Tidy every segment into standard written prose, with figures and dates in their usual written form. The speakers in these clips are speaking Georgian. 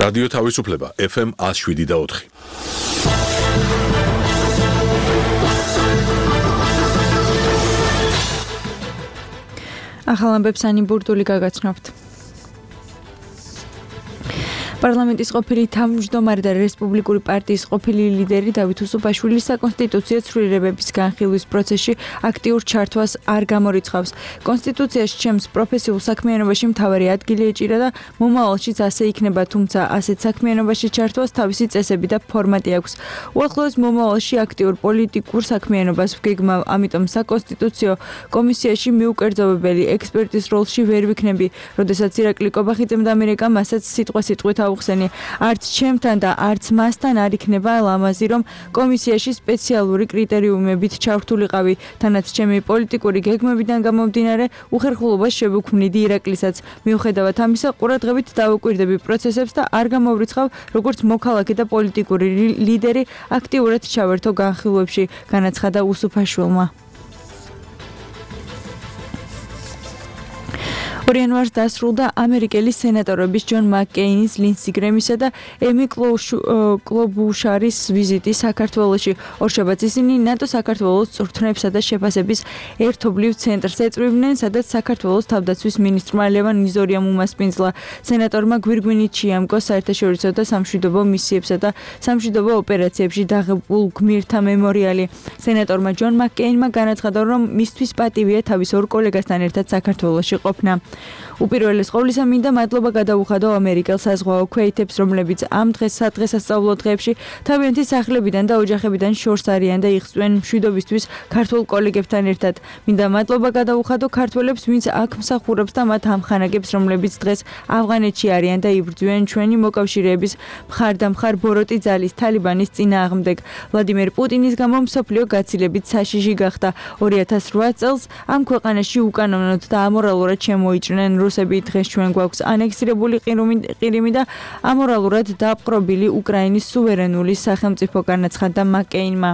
რადიო თავისუფლება FM 107.4. ახალ ამბებს ანი ბურდული გაგაცნობთ. პარლამენტის ყოფილი თავმჯდომარე და რესპუბლიკური პარტიის ყოფილი ლიდერი დავით უსუფაშვილი საკონსტიტუციო ცვლილებების განხილვის პროცესში აქტიურ ჩართვას არ გამორიცხავს. კონსტიტუციაში ჩემს პროფესიულ საქმიანობაში მთავარი ადგილი ეჭირა და მომავალშიც ასე იქნება, თუმცა ასეთ საქმიანობაში ჩართვას თავისი წესები და ფორმატი აქვს. უახლოეს მომავალში აქტიურ პოლიტიკურ საქმიანობას ვგეგმავ, ამიტომ საკონსტიტუციო კომისიაში მიუკერძობებელი ექსპერტის როლში ვერ ვიქნები, როდესაც ირაკლი კობახიძემ და ამერიკა მასაც სიტყვით უხსენი. არც ჩემთან და არც მასთან არ იქნება ლამაზი, რომ კომისიაში სპეციალური კრიტერიუმებით ჩავრთულიყავი, თანაც ჩემი პოლიტიკური გეგმებიდან გამომდინარე უხერხულობას შევუქმნიდი ირაკლისაც. მიუხედავად ამისა, ყურადღებით დავუკვირდები პროცესებს და არ გამოვრიცხავ, როგორც მოქალაქე და პოლიტიკური ლიდერი აქტიურად ჩავერთო განხილვებში, განაცხადა უსუფაშვილმა. 2 იანვარს დასრულდა ამერიკელი სენატორების ჯონ მაკკეინის, ლინსი გრემისა და ემი კლობუშარის ვიზიტი საქართველოში. ორშაბათს ისინი ნატო საქართველოს წვრთნებსა და შეფასების ერთობლივ ცენტრს ეწვივნენ, სადაც საქართველოს თავდაცვის მინისტრმა ლევან ნიზორიამ უმასპინძლა. სენატორმა გვირგვინით შეამკო საერთაშორისო და სამშვიდობო მისიებსა და სამშვიდობო ოპერაციებში დაღებულ გმირთა მემორიალი. სენატორმა ჯონ მაკკეინმა განაცხადა, რომ მისთვის პატივია თავის ორ კოლეგასთან ერთად საქართველოში ყოფნა. უპირველეს ყოვლისა მინდა მადლობა გადაუხადო ამერიკელ საზღვაო ქვეითებს, რომლებიც ამ სადღესასწაულო დღეებში თავიანთი სახლებიდან და ოჯახებიდან შორს არიან და იღწვენ მშვიდობისთვის ქართულ კოლეგებთან ერთად. მინდა მადლობა გადაუხადო ქართველებს, ვინც აქ მსახურობს და მათ ამხანაგებს, რომლებიც დღეს ავღანეთში არიან და იბრძვიან ჩვენი მოკავშირეების მხარდამხარ ბოროტი ძალის თალიბანის წინააღმდეგ. ვლადიმერ პუტინის გამო მსოფლიო გაცილებით საშიში გახდა. 2008 წელს ამ ქვეყანაში უკანონოდ და ამორალურად შემოიჭრნენ რუსები. დღეს ჩვენ გვაქვს ანექსირებული ყირიმი და ამორალურად დაპყრობილი უკრაინის სუვერენული სახელმწიფო, განაცხადა მაკკეინმა.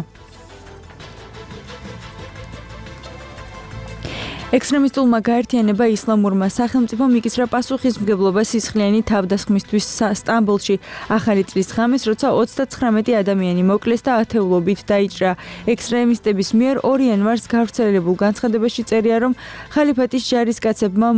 ექსტრემისტულმა გაერთიანება ისლამურმა სახელმწიფომ იკისრა პასუხისმგებლობა სისხლიანი თავდასხმისთვის სტამბოლში ახალი წლის ღამეს, როცა 39 ადამიანი მოკლეს და ათეულობით დაიჭრა. ექსტრემისტების მიერ 2 იანვარს გავრცელებულ განცხადებაში წერია, რომ ხალიფატის ჯარისკაცებმა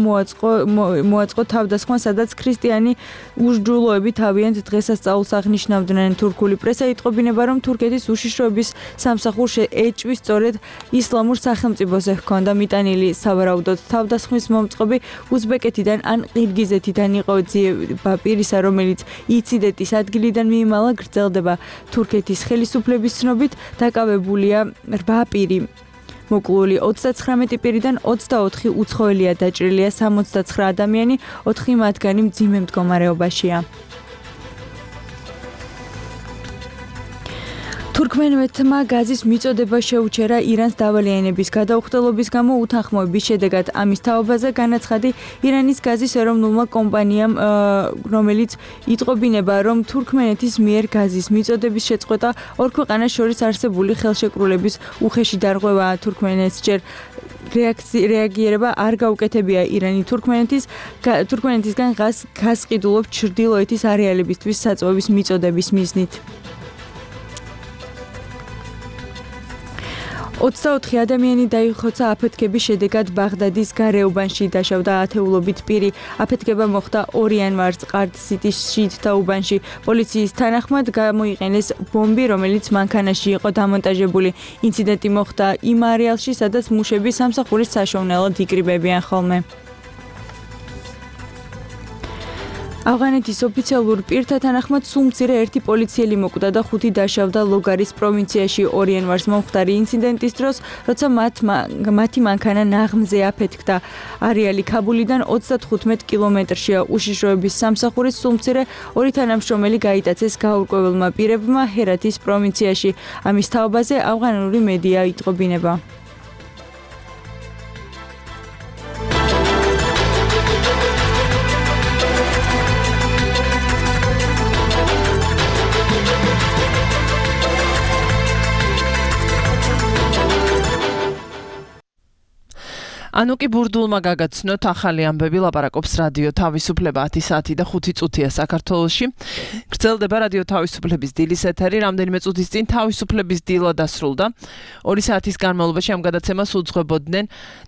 მოაწყო თავდასხმა, სადაც ქრისტიანი უშჯულოები თავიანთ დღესასწაულს აღნიშნავდნენ. თურქული პრესა იტყობინება, რომ თურქეთის უშიშროების სამსახურს ეჭვი სწორედ ისლამურ სახელმწიფოზე ჰქონდა მიტანილი. სავარაუდოდ თავდასხმის მომწყობი უზბეკეთიდან ან ყირგიზეთიდან იყო. ძიება პირისა, რომელიც ინციდენტის ადგილიდან მიიმალა, გრძელდება. თურქეთის ხელისუფლების ცნობით დაკავებულია 8 პირი. მოკლული 39 პირიდან 24 უცხოელია დაჭრილია, 69 ადამიანი, 4 მათგანი მძიმე მდგომარეობაშია. თურქმენეთმა გაზის მიწოდება შეუჩერა ირანს დავალიანების გადაუხდელობის გამო უთანხმოების შედეგად. ამის თაობაზე განაცხადი ირანის გაზის ეროვნულმა კომპანიამ, რომელიც იტყობინება, რომ თურქმენეთის მიერ გაზის მიწოდების შეწყვეტა ორ ქვეყანას შორის არსებული ხელშეკრულების უხეში დარღვევაა. თურქმენეთს ჯერ რეაგირება არ გაუკეთებია. ირანი თურქმენეთისგან გაზს გასყიდულობს ჩრდილოეთის არეალებისთვის საწვევის მიწოდების მიზნით. 24 ადამიანი დაიხოცა აფეთქების შედეგად ბაღდადის გარეუბანში, დაშავდა ათეულობით პირი. აფეთქება მოხდა 2 იანვარს ყარდ-სიტის შიდთა უბანში. პოლიციის თანახმად გამოიყენეს ბომბი, რომელიც მანქანაში იყო დამონტაჟებული. ინციდენტი მოხდა იმ არეალში, სადაც მუშები სამსახურის საშოვნელად იკრიბებიან ხოლმე. ავღანეთის ოფიციალურ პირთა თანახმად სულ მცირე 1 პოლიციელი მოკვდა და 5 დაშავდა ლოგარის პროვინციაში 2 იანვარს მომხდარი ინციდენტის დროს, როცა მათი მანქანა ნაღმზე აფეთქდა. არეალი ქაბულიდან 35 კილომეტრშია. უშიშროების სამსახურის სულ მცირე 2 თანამშრომელი გაიტაცეს გაურკვეველმა პირებმა ჰერათის პროვინციაში. ამის თაობაზე ავღანური მედია იტყობინება. ანუ კი ბურდულმა გაგაცნოთ ახალი ამბები ლაპარაკობს რადიო თავისუფლება 10 საათი და 5 წუთია საქართველოში. გრძელდება რადიო თავისუფლების დილის ეთერი, რამდენიმე წუთის წინ თავისუფლების დილა დასრულდა. 2 საათის განმავლობაში ამ გადაცემას უძღვებოდნენ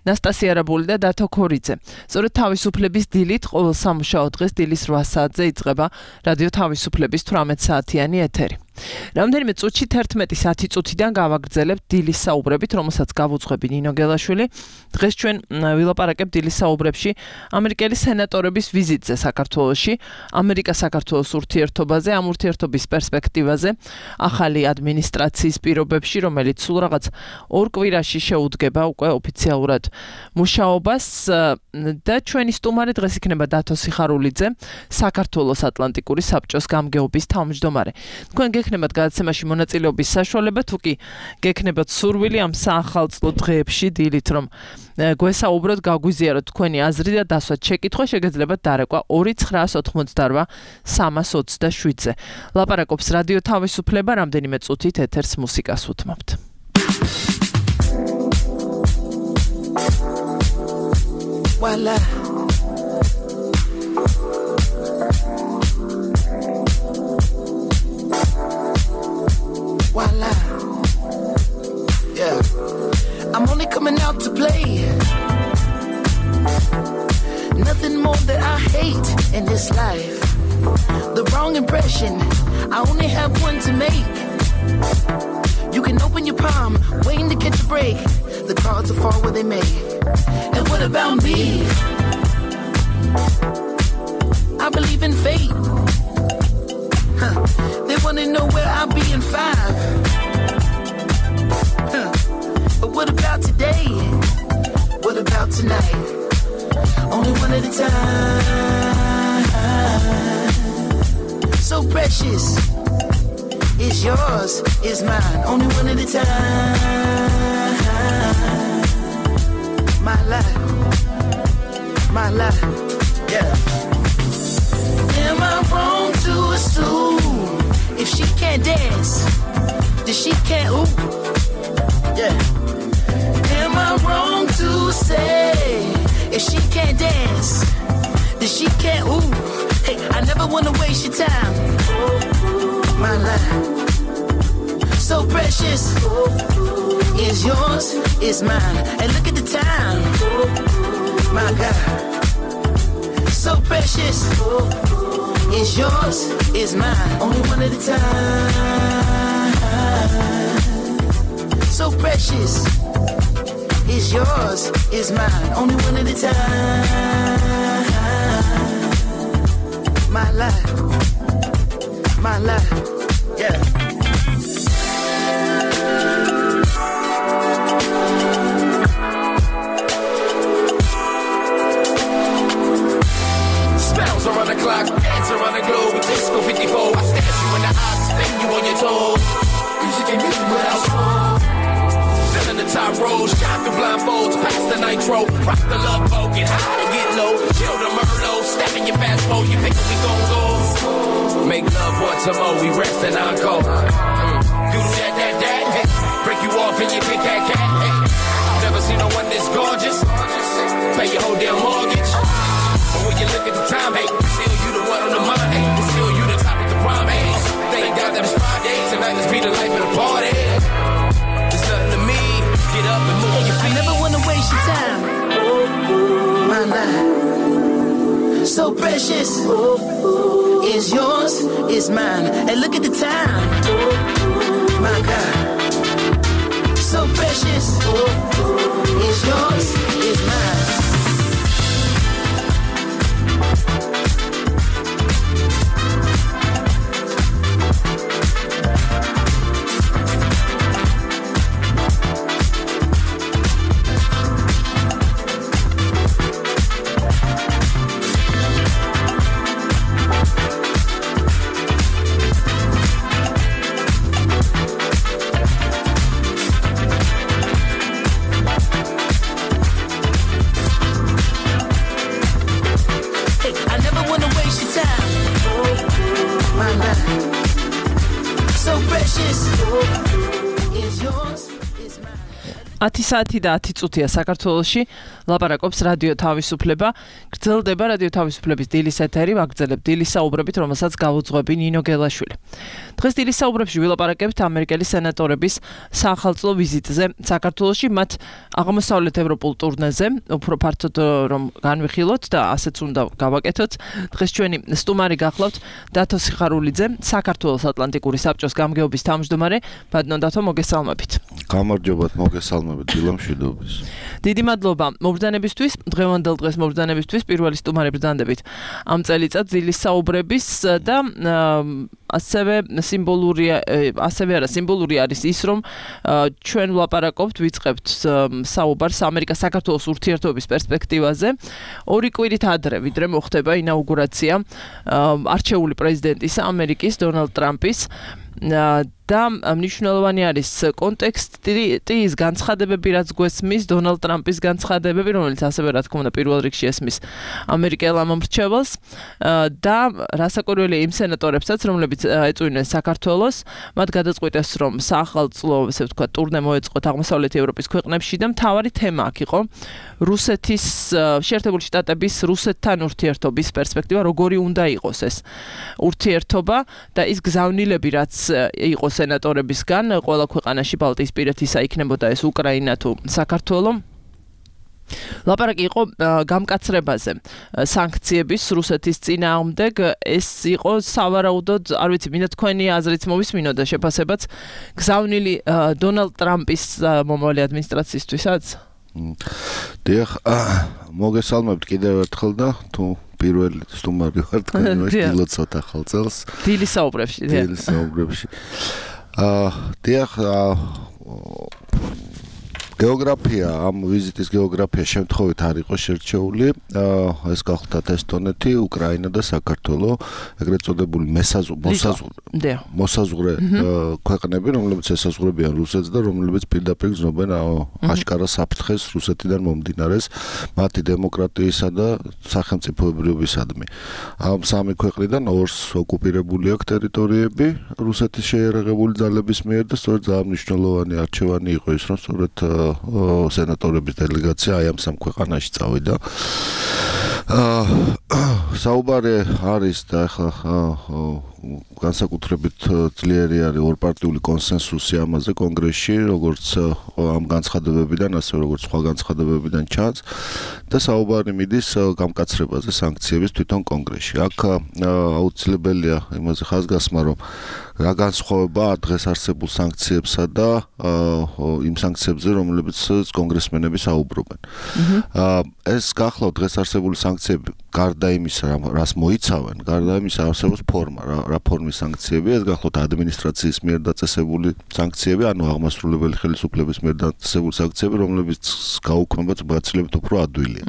ნასტასია რაბული და დათო ქორიძე. სწორედ თავისუფლების დილით ყოველ სამუშაო დღეს დილის 8 საათზე იწყება რადიო თავისუფლების 18 საათიანი ეთერი. რამდენიმე წუთში 11 წუთიდან გავაგრძელებთ დილის საუბრებით, რომელსაც გავუძღვები ნინო გელაშვილი. დღეს ჩვენ ვილაპარაკებთ დილის საუბრებში ამერიკელი სენატორების ვიზიტზე საქართველოში, ამერიკა-საქართველოს ურთიერთობაზე, ამ ურთიერთობის პერსპექტივაზე, ახალი ადმინისტრაციის პირობებში, რომელიც სულ რაღაც 2 კვირაში შეუდგება უკვე ოფიციალურად მუშაობას და ჩვენი სტუმარი დღეს იქნება დათო სიხარულიძე, საქართველოს ატლანტიკური საბჭოს გამგეობის თავმჯდომარე. თქვენ გექნებათ გადაცემაში მონაწილეობის საშუალება, თუ კი გექნებათ სურვილი ამ საახალწლო დღეებში დილით, რომ გვესაუბროთ, გაგვიზიაროთ თქვენი აზრი და დასვათ შეკითხვა, შეგეძლებათ დარეკვა 2988 327-ზე. ლაპარაკობს რადიო თავისუფლება, რამდენიმე წუთით ეთერს მუსიკას უთმობთ. Voila. Voila. Yeah. I'm only coming out to play. Nothing more that I hate in this life. The wrong impression, I only have one to make. You can open your palm, waiting to catch a break. The cards will fall where they may. And what about me? I believe in fate. They wanna know where I'll be in 5. But what about today? What about tonight? Only one at a time. So precious. It's yours, it's mine. Only one at a time. My life, yeah. Am I wrong to assume if she can't dance, then she can't ooh? Yeah. Am I wrong to say if she can't dance, then she can't ooh? Hey, I never wanna waste your time. My life, so precious. Is yours, is mine. And look at the time. My God, so precious. Is yours, is mine. Only one at a time. So precious. Is yours, is mine. Only one at a time. My life, yeah. Spells around the clock, dance around the globe. Disco 54, I stare you in the eyes, spin you on your toes. Music and music without song. Filling the top rows, shot through blindfolds, past the nitro. Rock the love boat, get high to get low. Chill the Merlot, step in your fast boat. You think we gon' go? Make love once more, we rest and encore. Do that, hey. Break you off and you pick that cat, hey. Never seen no one this gorgeous. Pay your whole damn mortgage. But when you look at the time, hey, still you the one on the mind, hey. Still you the topic of prime, hey. Thank God that it's Friday, tonight let's be the life of the party. There's nothing to me, get up and move on your feet. I never wanna waste your time. My life, so precious. Is yours, is mine. And look at the time. My God, so precious. Is yours, is mine. 10 საათი და 10 წუთია საქართველოში ლაპარაკობს რადიო თავისუფლება. გრძელდება რადიო თავისუფლების დილის ეთერი, ვაგრძელებ დილის საუბრებით, რომელსაც გავუძღვები ნინო გელაშვილი. დღეს დილის საუბრებში ვილაპარაკებთ ამერიკელი სენატორების საახალწლო ვიზიტზე საქართველოში, მათ აღმოსავლეთ ევროპულ ტურნეზე, უფრო ფართოდ რომ განვიხილოთ და ასეც უნდა გავაკეთოთ. დღეს ჩვენი სტუმარი გახლავთ დათო სიხარულიძე, საქართველოს ატლანტიკური საბჭოს გამგეობის თავმჯდომარე. ბატონო დათო, მოგესალმებით. გამარჯობათ, მოგესალმებით დილამშვიდობის. დიდი მადლობა მობრძანებისთვის, დღევანდელ დღეს მობრძანებისთვის, პირველი სტუმარი ბრძანდებით ამ წელიწად დილის საუბრების და ასევე სიმბოლური არის ის, რომ ჩვენ ვლაპარაკობთ, ვიწყებთ საუბარს ამერიკა-საქართველოს ურთიერთობის პერსპექტივაზე. 2 კვირით ადრე, ვიდრე მოხდება ინაუგურაცია არჩეული პრეზიდენტის ამერიკის დონალდ ტრამპის და მნიშვნელოვანი არის კონტექსტი ის განცხადებები, რაც გვესმის დონალდ ტრამპის განცხადებები, რომელიც ასევე რა თქმა უნდა პირველ რიგში ესმის ამერიკელ ამომრჩეველს და რასაკვირველია იმ სენატორებსაც, რომლებიც ეწვივნენ საქართველოს, მათ გადაწყვიტეს, რომ საახალწლო, ესე ვთქვათ, ტურნე მოეწყოთ აღმოსავლეთ ევროპის ქვეყნებში და მთავარი თემა აქ იყო რუსეთის შეერთებული შტატების რუსეთთან ურთიერთობის პერსპექტივა, როგორი უნდა იყოს ეს ურთიერთობა და ის გზავნილები, რაც იყო სენატორებისგან, ყველა ქვეყანაში ბალტიისპირეთისა იქნებოდა ეს უკრაინა თუ საქართველო. ლაპარაკი იყო გამკაცრებაზე, სანქციების რუსეთის წინააღმდეგ. ეს იყო სავარაუდოდ, არ ვიცი, მინდა თქვენი აზრიც მოვისმინოთ და შეფასებაც გზავნილი დონალდ ტრამპის მომავალი ადმინისტრაციისთვისაც? დიახ, მოგესალმებთ კიდევ ერთხელ და თუ პირველი სტუმარი ვარ თქვენში დილოცოთ ახალ წელს. დილის საუბრებში. დიახ, გეოგრაფია, ამ ვიზიტის გეოგრაფია შემთხვევით არ იყო შერჩეული. ეს გახლდათ ესტონეთი, უკრაინა და საქართველო, ეგრეთ წოდებული მოსაზღვრე ქვეყნები, რომლებიც ესაზღვრებიან რუსეთს და რომლებიც პირდაპირ გზნობენ აშკარა საფრთხეს რუსეთიდან მომდინარეს მათი დემოკრატიისა და სახელმწიფოებრიობისადმი. ამ სამი ქვეყნიდან ორს ოკუპირებული აქვს ტერიტორიები რუსეთის შეიარაღებული ძალების მიერ და სწორედ ძალიან მნიშვნელოვანი არჩევანი იყო ის, რომ სწორედ სენატორების დელეგაცია აი ამ სამ ქვეყანაში წავიდა. საუბარი არის და ახლა განსაკუთრებით ძლიერი არის ორპარტიული კონსენსუსი ამაზე კონგრესში, როგორც ამ განცხადებებიდან, ასევე როგორც სხვა განცხადებებიდან ჩანს და საუბარი მიდის გამკაცრებაზე სანქციების თვითონ კონგრესში. აქ აუცილებელია იმაზე ხაზგასმა, რომ რა განსხვავებაა დღეს არსებულ სანქციებსა და იმ სანქციებზე, რომლებიც კონგრესმენები საუბრობენ. ეს გახლავთ დღეს არსებული სანქციები გარდა იმისა, რას მოიცავენ, გარდა იმისა არსებობს ფორმა, რა ფორმის სანქციები, ეს გახლავთ ადმინისტრაციის მიერ დაწესებული სანქციები, ანუ აღმასრულებელი ხელისუფლების მიერ დაწესებული სანქციები, რომლებიც გაუქმებაც გაცილებით უფრო ადვილია.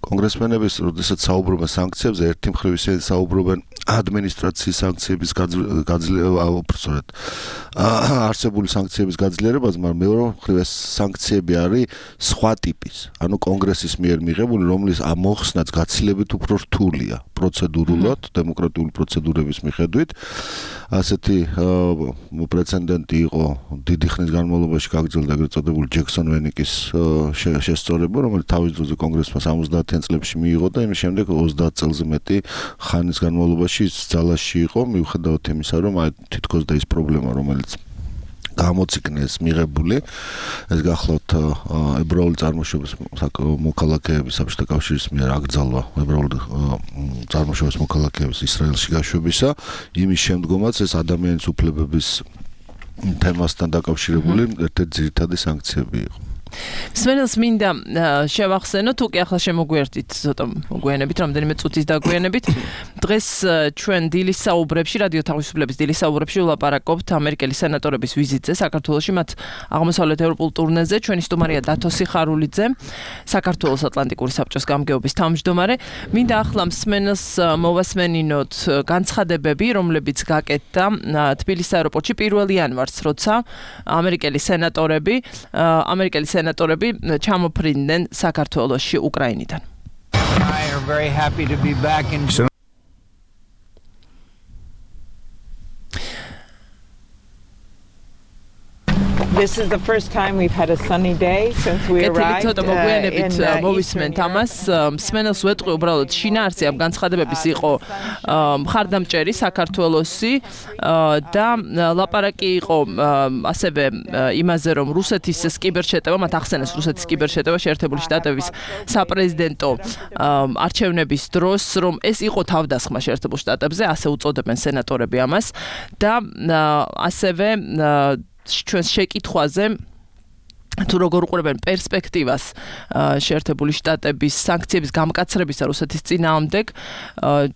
კონგრესმენები, როდესაც საუბრობენ სანქციებზე, ერთი მხრივ ისინი საუბრობენ ადმინისტრაციის სანქციების არსებული სანქციების გაძლიერებაზე, მაგრამ მეორე მხრივ ეს სანქციები არის სხვა ტიპის, ანუ კონგრესის მიერ მიღებული, რომლის მოხსნაც გაცილებით უფრო რთულია პროცედურულად, დემოკრატიული პროცედურების მიხედვით. ასეთი პრეცედენტი იყო დიდი ხნის განმავლობაში გაგრძელდა ეგრეთ წოდებული ჯექსონ ვენიკის შესწორება, რომელიც თავის დროზე კონგრესმა 70-იან წლებში მიიღო და იმის შემდეგ 30 წელზე მეტი ხანის განმავლობაში ძალაში იყო, მიუხედავად იმისა, რომ თითქოს და ის პრობლემა, რომელიც გამოციქნეს მიღებული, ეს გახლავთ ებრაული წარმოშობის მოქალაქეების საბჭოთა კავშირის მიერ აკრძალვა ებრაული წარმოშობის მოქალაქეების ისრაელში გაშვებისა, იმის შემდგომაც ეს ადამიანის უფლებების თემასთან დაკავშირებული ერთ-ერთი ძირითადი სანქციები იყო. სმენელს მინდა შევახსენოთ, უკვე ახლა შემოგვიერთით ცოტა მოგვიანებით, რამდენიმე წუთის დაგვიანებით. დღეს ჩვენ დილის საუბრებში, რადიო თავისუფლების დილის საუბრებში ვლაპარაკობთ ამერიკელი სენატორების ვიზიტზე საქართველოში, მათ აღმოსავლეთ ევროპულ ტურნეზე. ჩვენი სტუმარია დათო სიხარულიძე, საქართველოს ატლანტიკური საბჭოს გამგეობის თავმჯდომარე. მინდა ახლა სმენელს მოვასმენინოთ განცხადებები, რომლებიც გაკეთდა თბილისის აეროპორტში 1 იანვარს, როცა ამერიკელი სენატორები ჩამოფრინდნენ საქართველოში უკრაინიდან. I are very happy to be back in This is the first time we've had a sunny day since we arrived. Ეთილი ცოტა მოგვიანებით მოვისმენთ ამას. მსმენელს ვეტყვი უბრალოდ შინაარსი ამ განცხადებების იყო მხარდამჭერი საქართველოსი და ლაპარაკი იყო ასევე იმაზე რომ რუსეთის კიბერშეტევა მათ ახსენეს რუსეთის კიბერშეტევა შეერთებული შტატების საპრეზიდენტო არჩევნების დროს რომ ეს იყო თავდასხმა შეერთებულ შტატებზე ასე უწოდებენ სენატორები ამას და ასევე ჩვენს შეკითხვაზე თუ როგორ უყურებენ პერსპექტივას შეერთებული შტატების სანქციების გამკაცრებისა რუსეთის წინააღმდეგ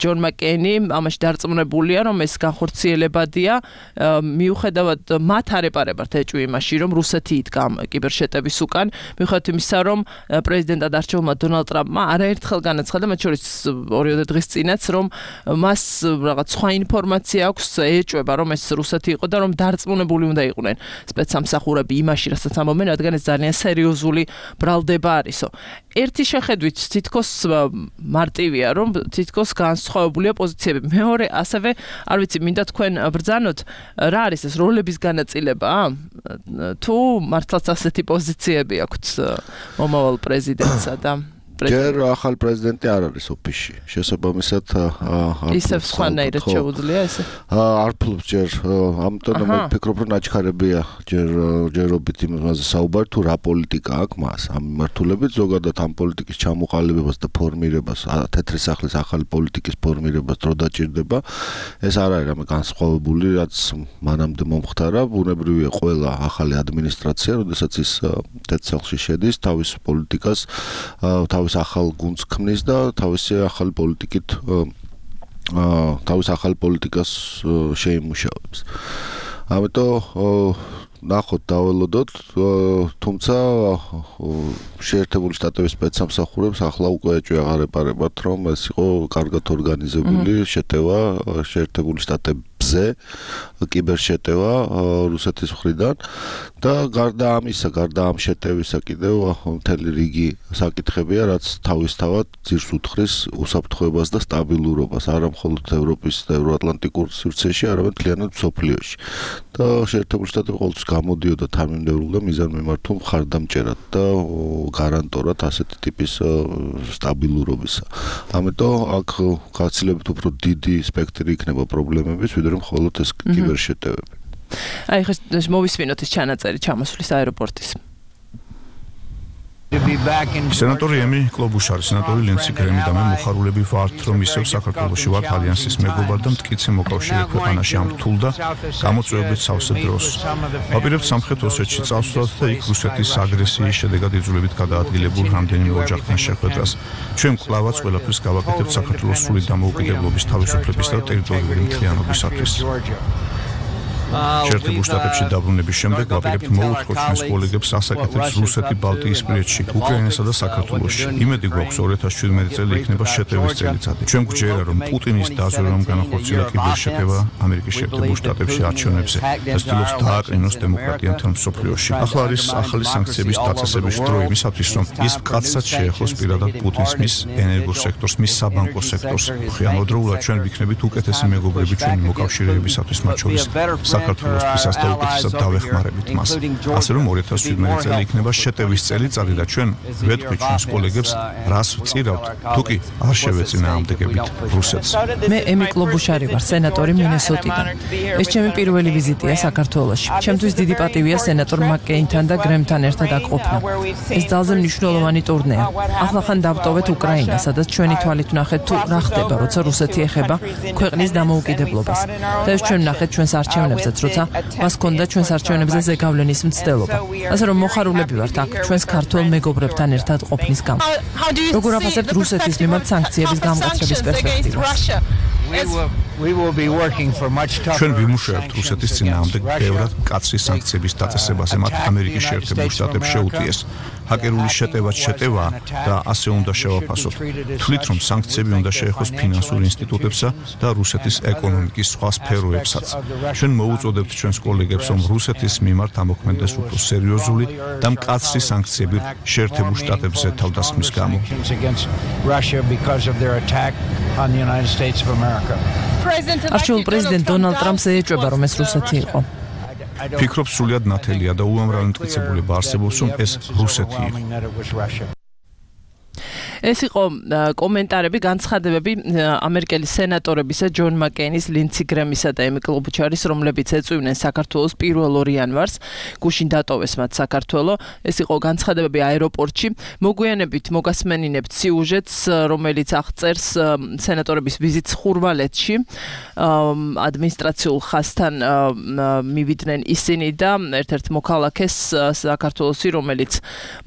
ჯონ მაკეინი ამაში დარწმუნებულია რომ ეს განხორციელებადია მიუხედავად მათ არ ეპარებათ ეჭვი იმაში რომ რუსეთი იდგა კიბერშეტევის უკან მიუხედავად იმისა რომ პრეზიდენტად არჩეულმა დონალდ ტრამპმა არაერთხელ განაცხადა მათ შორის 2 დღის წინაც რომ მას რაღაც სხვა ინფორმაცია აქვს ეჭვება რომ ეს რუსეთი იყო და რომ დარწმუნებული უნდა იყვნენ სპეცსამსახურები იმაში რასაც ამბობენ რადგან ეს ძალიან სერიოზული ბრალდება არისო. ერთი შეხედვით თითქოს მარტივია, რომ თითქოს განსხვავებულია პოზიციები. მეორე, ასევე, არ ვიცი, მინდა თქვენ ბრძანოთ, რა არის ეს როლების განაწილება? თუ მართლაც ასეთი პოზიციები აქვთ მომავალ პრეზიდენტსა და ჯერ ახალ პრეზიდენტი არ არის ოფისში. შესაბამისად ისევ სხვანაირად შეუძლია ესე? არ ფლობს ჯერ, ამიტომ ვფიქრობ, რომ აჩქარებია ჯერობით იმაზე საუბარი თუ რა პოლიტიკა აქვს მას ამ მიმართულებით, ზოგადად ამ პოლიტიკის ჩამოყალიბებას და ფორმირებას, თეთრი სახლის ახალი პოლიტიკის ფორმირებას დრო დაჭირდება. ეს არ არის რამე განსხვავებული, რაც მანამდე მომხდარა, ბუნებრივია ყველა ახალი ადმინისტრაცია, როდესაც ის თეთრ სახლში შედის, თავის პოლიტიკას თავის ახალ გუნდს ქმნის და თავისი ახალი პოლიტიკით თავის ახალ პოლიტიკას შეიმუშავებს. ამიტომ ნახოთ დაველოდოთ, თუმცა შეერთებული შტატების სპეცსამსახურებს ახლა უკვე ეჭვი აღარ ეპარებათ, რომ ეს იყო კარგად ორგანიზებული შეტევა შეერთებული შტატებზე, კიბერშეტევა რუსეთის მხრიდან და გარდა ამ შეტევისა კიდევ მთელი რიგი საკითხებია, რაც თავისთავად ძირს უთხრის უსაფრთხოებას და სტაბილურობას არა მხოლოდ ევროპის და ევროატლანტიკურ სივრცეში, არამედ მთლიანად მსოფლიოში. და შეერთებული შტატები ყოველთვის გამოდიოდა თანმიმდევრულ და მიზანმიმართულ მხარდამჭერად და გარანტორად ასეთი ტიპის სტაბილურობისა. ამიტომ აქ გაცილებით უფრო დიდი სპექტრი იქნება პრობლემების, ვიდრე მხოლოდ ეს კიბერშეტევები. აი ხა მოვისმინოთ ეს ჩანაწერი ჩამოსვლის აეროპორტის. სენატორი ემი კლობუშარი, სენატორი ლენსი გრემი და მე მოხარულები ვართ, რომ ისევ საქართველოში ვართ ალიანსის მეგობარ და მტკიცე მოკავშირე ქვეყანაში ამ რთულ და გამოწვევებით სავსე დროს. ვაპირებთ სამხრეთ ოსეთში წავსვლათ და იქ რუსეთის აგრესიის შედეგად იძულებით გადაადგილებულ რამდენიმე ოჯახთან შეხვედრას. ჩვენ კვლავაც ყველაფერს გავაკეთებთ საქართველოს სრული დამოუკიდებლობის, თავისუფლების და ტერიტორიული მთლიანობისათვის. შეერთებულ შტატებში დაბრუნების შემდეგ ვაპირებთ მოუწყოთ ჩვენს კოლეგებს ასაკეთებს რუსეთი ბალტიისპირეთში, უკრაინასა და საქართველოში. იმედი გვაქვს 2017 წელი იქნება შეტევის წელიწადი. ჩვენ გვჯერა რომ პუტინის დაზვერვამ განახორციელა კიბერშეტევა ამერიკის შეერთებულ შტატებში არჩევნებზე და ცდილობს დააკრინოს დემოკრატია მთელ მსოფლიოში. ახლა არის ახალი სანქციების დაწესების დრო იმისათვის, რომ ის მკაცრად შეეხოს პირადად პუტინს, მის ენერგოსექტორს, მის საბანკო სექტორს. ამავდროულად ჩვენ ვიქნებით უკეთესი მეგობრები ჩვენი მოკავშირეებისათვის, მათ შორის საქართველოსთვისაც და უკეთესად დავეხმარებით მას. ასე რომ 2017 წელი იქნება შეტევის წელიწადი და ჩვენ ვეთქვით ჩვენს კოლეგებს, რას ვწირავთ, თუ კი არ შევეწინააღმდეგებით რუსეთს. მე ემი კლობუშარი ვარ, სენატორი მინესოტიდან. ეს ჩემი პირველი ვიზიტია საქართველოში. ჩემთვის დიდი პატივია სენატორ მაკკეინთან და გრემთან ერთად აქ ყოფნა. ეს ძალზე მნიშვნელოვანი ტურნეა. ახლა ხან დავტოვეთ უკრაინას, სადაც ჩვენი თვალით ვნახეთ თუ რა ხდება, როცა რუსეთი ეხება ქვეყნის დამოუკიდებლობას. და ეს ჩვენ ვნახეთ ჩვენს არჩევნებზე, როცა მას ჰქონდა ჩვენს არჩევნებზე ზეგავლენის მცდელობა. ასე რომ მოხარულები ვართ აქ ჩვენს ქართველ მეგობრებთან ერთად ყოფნის გამო. როგორ აფასებთ რუსეთის მიმართ სანქციების გამკაცრების პერსპექტივას? ჩვენ ვიმუშავებთ რუსეთის წინააღმდეგ ბევრად მკაცრი სანქციების დაწესებაზე, მათ ამერიკის შეერთებულ შტატებს შეუტიეს. ჰაკერული შეტევა და ასე უნდა შევაფასოთ. თვლით, რომ სანქციები უნდა შეეხოს ფინანსურ ინსტიტუტებსა და რუსეთის ეკონომიკის სხვა სფეროებსაც. ჩვენ მოუწოდებთ ჩვენს კოლეგებს, რომ რუსეთის მიმართ ამოქმედდეს უფრო სერიოზული და მკაცრი სანქციები შეერთებულ შტატებზე თავდასხმის გამო. არჩეულ პრეზიდენტ დონალდ ტრამპს ეჭვება, რომ ეს რუსეთი იყო. ფიქრობ სრულიად ნათელია და უამრავი მტკიცებულება არსებობს, რომ ეს რუსეთი იყო. ეს იყო კომენტარები, განცხადებები ამერიკელი სენატორებისა ჯონ მაკეინის, ლინდსი გრემისა და ემი კლობუჩარის, რომლებიც ეწვივნენ საქართველოს 1 იანვარს, გუშინ დატოვეს მათ საქართველო. ეს იყო განცხადებები აეროპორტში. მოგვიანებით მოგასმენინებთ სიუჟეტს, რომელიც აღწერს სენატორების ვიზიტს ხურვალეთში. ადმინისტრაციულ ხაზთან მივიდნენ ისინი და ერთ-ერთ მოქალაქეს საქართველოსი, რომელიც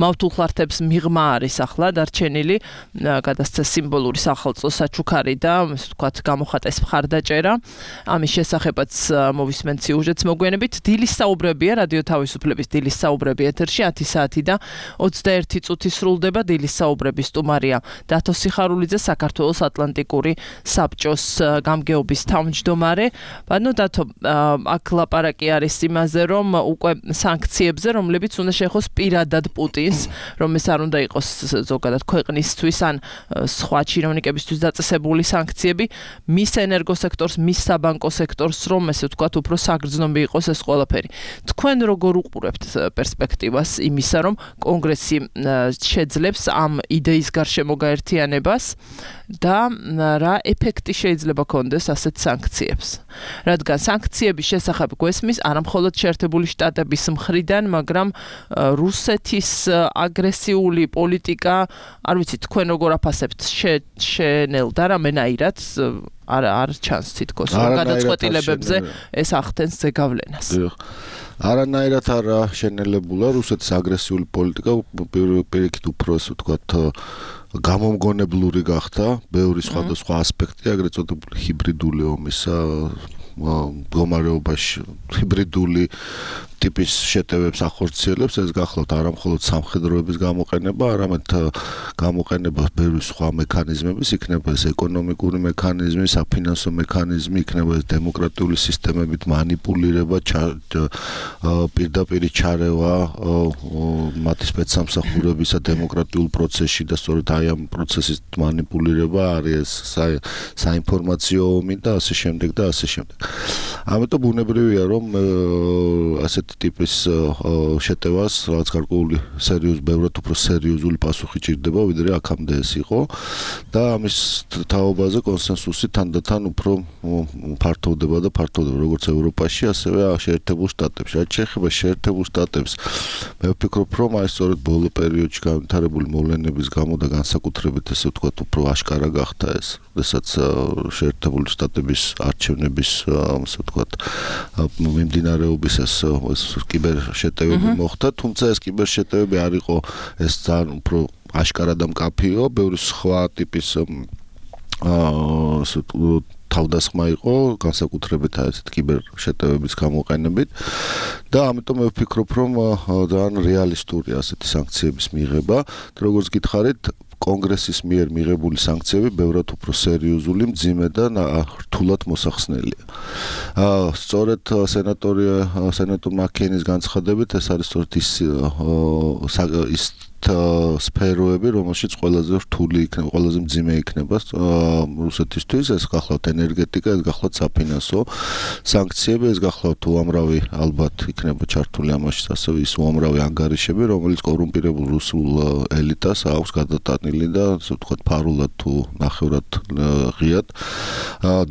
მავთულხლართებს მიღმა არის ახლა დარჩენილი, გადასცა სიმბოლური სახელწო საჩუქარი და ასე ვთქვათ გამოხატეს მხარდაჭერა. ამის შესახებაც მოვისმენთ სიუჟეტს მოგვიანებით. დილის საუბრებია, რადიო თავისუფლების დილის საუბრები ეთერში 10 საათი და 21 წუთი სრულდება. დილის საუბრების სტუმარია დათო სიხარულიძე, საქართველოს ატლანტიკური საბჭოს გამგეობის თავმჯდომარე. ბატონო დათო, აქ ლაპარაკი არის იმაზე, რომ უკვე სანქციებზე, რომლებიც უნდა შეეხოს პირადად პუტინს, რომ ეს არ უნდა იყოს ზოგადად ქვეყნისთვის ან სხვა ჩინოვნიკებისთვის დაწესებული სანქციები, მის ენერგოსექტორს, მის საბანკო სექტორს, რომ ესე ვთქვათ, უფრო საგრძნობი იყოს ეს ყველაფერი. თქვენ როგორ უყურებთ პერსპექტივას იმისა, რომ კონგრესი შეძლებს ამ იდეის გარშემო გაერთიანებას და რა ეფექტი შეიძლება კონდეს ასეთ სანქციებს? რადგან სანქციების შესახებ გვესმის არა მხოლოდ შეერთებული შტატების მხრიდან, მაგრამ რუსეთის აგრესიული პოლიტიკა, არ ვიცი, თქვენ როგორ აფასებთ, შენელდა რამენაირად არ ჩანს თითქოს გადაწყვეტილებებზე ეს ახდენს ზეგავლენას. არანაირად არ შენელებულა რუსეთის აგრესიული პოლიტიკა, პირიქით უფრო ასე ვთქვათ გამომგონებლური გახდა, ბევრი სხვადასხვა ასპექტი, აგრეთ წოდებული ჰიბრიდული ომისა მდგომარეობაში, ჰიბრიდული ტიპის შეტევებს ახორციელებს, ეს გახლავთ არა მხოლოდ სამხედროების გამოყენება, არამედ გამოყენება ბევრი სხვა მექანიზმების, იქნება ეს ეკონომიკური მექანიზმი, საფინანსო მექანიზმი, იქნება ეს დემოკრატიული სისტემებით მანიპულირება, პირდაპირ ჩარევა მათი სპეცსამსახურებისა დემოკრატიულ პროცესში და სწორედ აი ამ პროცესის მანიპულირება არის საინფორმაციო ომი და ასე შემდეგ და ასე შემდეგ. ამიტომ ბუნებრივია, რომ ასეთი ტიპის შეტევას რაღაც გარკვეული ბევრად უფრო სერიოზული პასუხი ჭირდება, ვიდრე აქამდე ეს იყო და ამის თაობაზე კონსენსუსი თანდათან უფრო ფართოვდება და ფართოვდება როგორც ევროპაში, ასევე შეერთებულ შტატებში. რაც შეეხება შეერთებულ შტატებს, მე ვფიქრობ, რომ აი სწორედ ბოლო პერიოდში განვითარებული მოვლენების გამო და განსაკუთრებით ესე ვთქვათ, უფრო აშკარა გახდა ეს, როდესაც შეერთებული შტატების არჩევნების ასე ვთქვათ, მიმდინარეობის ეს კიბერ შეტევები მოხდა, თუმცა ეს კიბერ შეტევები არ იყო ეს ძალიან უფრო აშკარა და მკაფიო, ბევრი სხვა ტიპის თავდასხმა იყო, განსაკუთრებით ასეთ კიბერ შეტევების გამოყენებით და ამიტომ მე ვფიქრობ, რომ ძალიან რეალისტურია ასეთი სანქციების მიღება, როგორც გითხარით, კონგრესის მიერ მიღებული სანქციები ბევრად უფრო სერიოზული, მძიმე და რთულად მოსახსნელია. სწორედ სენატორ მაკეინის განცხადებით ეს არის სწორედ ის სფეროები, რომელშიც ყველაზე რთული იქნება, ყველაზე მძიმე იქნება რუსეთისთვის, ეს გახლავთ ენერგეტიკა, ეს გახლავთ საფინანსო სანქციები, ეს გახლავთ უამრავი ალბათ იქნება ჩართული ამაში, ასევე ის უამრავი ანგარიშები, რომელიც კორუმპირებულ რუსულ ელიტას აქვს გადატანილი და ასე ვთქვათ, ფარულად თუ ნახევრად ღიად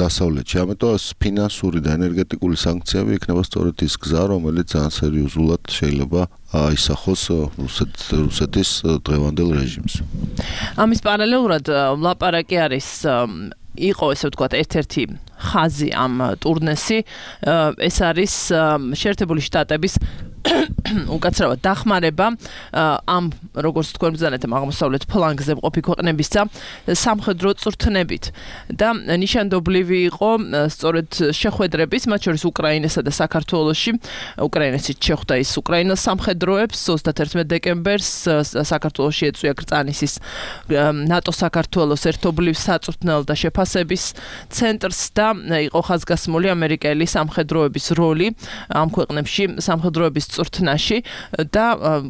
დასავლეთში. ამიტომ ეს ფინანსური და ენერგეტიკული სანქციები იქნება სწორედ ის გზა, რომელიც ძალიან სერიოზულად შეიძლება აისახოს რუსეთის დღევანდელ რეჟიმს. ამის პარალელურად ლაპარაკი არის იყო ესე ვთქვათ ერთ-ერთი ხაზი ამ ტურნესი, ეს არის შეერთებული შტატების უკაცრავად დახმარება ამ როგორც თქვენ ბრძანეთ აღმოსავლეთ ფლანგზე მყოფი ქვეყნებისა სამხედრო წვრთნებით და ნიშანდობლივი იყო სწორედ შეხვედრების, მათ შორის უკრაინასა და საქართველოში. უკრაინაში შეხვდა ის უკრაინას სამხედროებს 31 დეკემბერს საქართველოში ეწვია კრწანისის ნატო-საქართველოს ერთობლივ საწვრთნელ და შეფასების ცენტრს და იყო ხაზგასმული ამერიკელი სამხედროების როლი ამ ქვეყნებში სამხედროების წვრთნაში და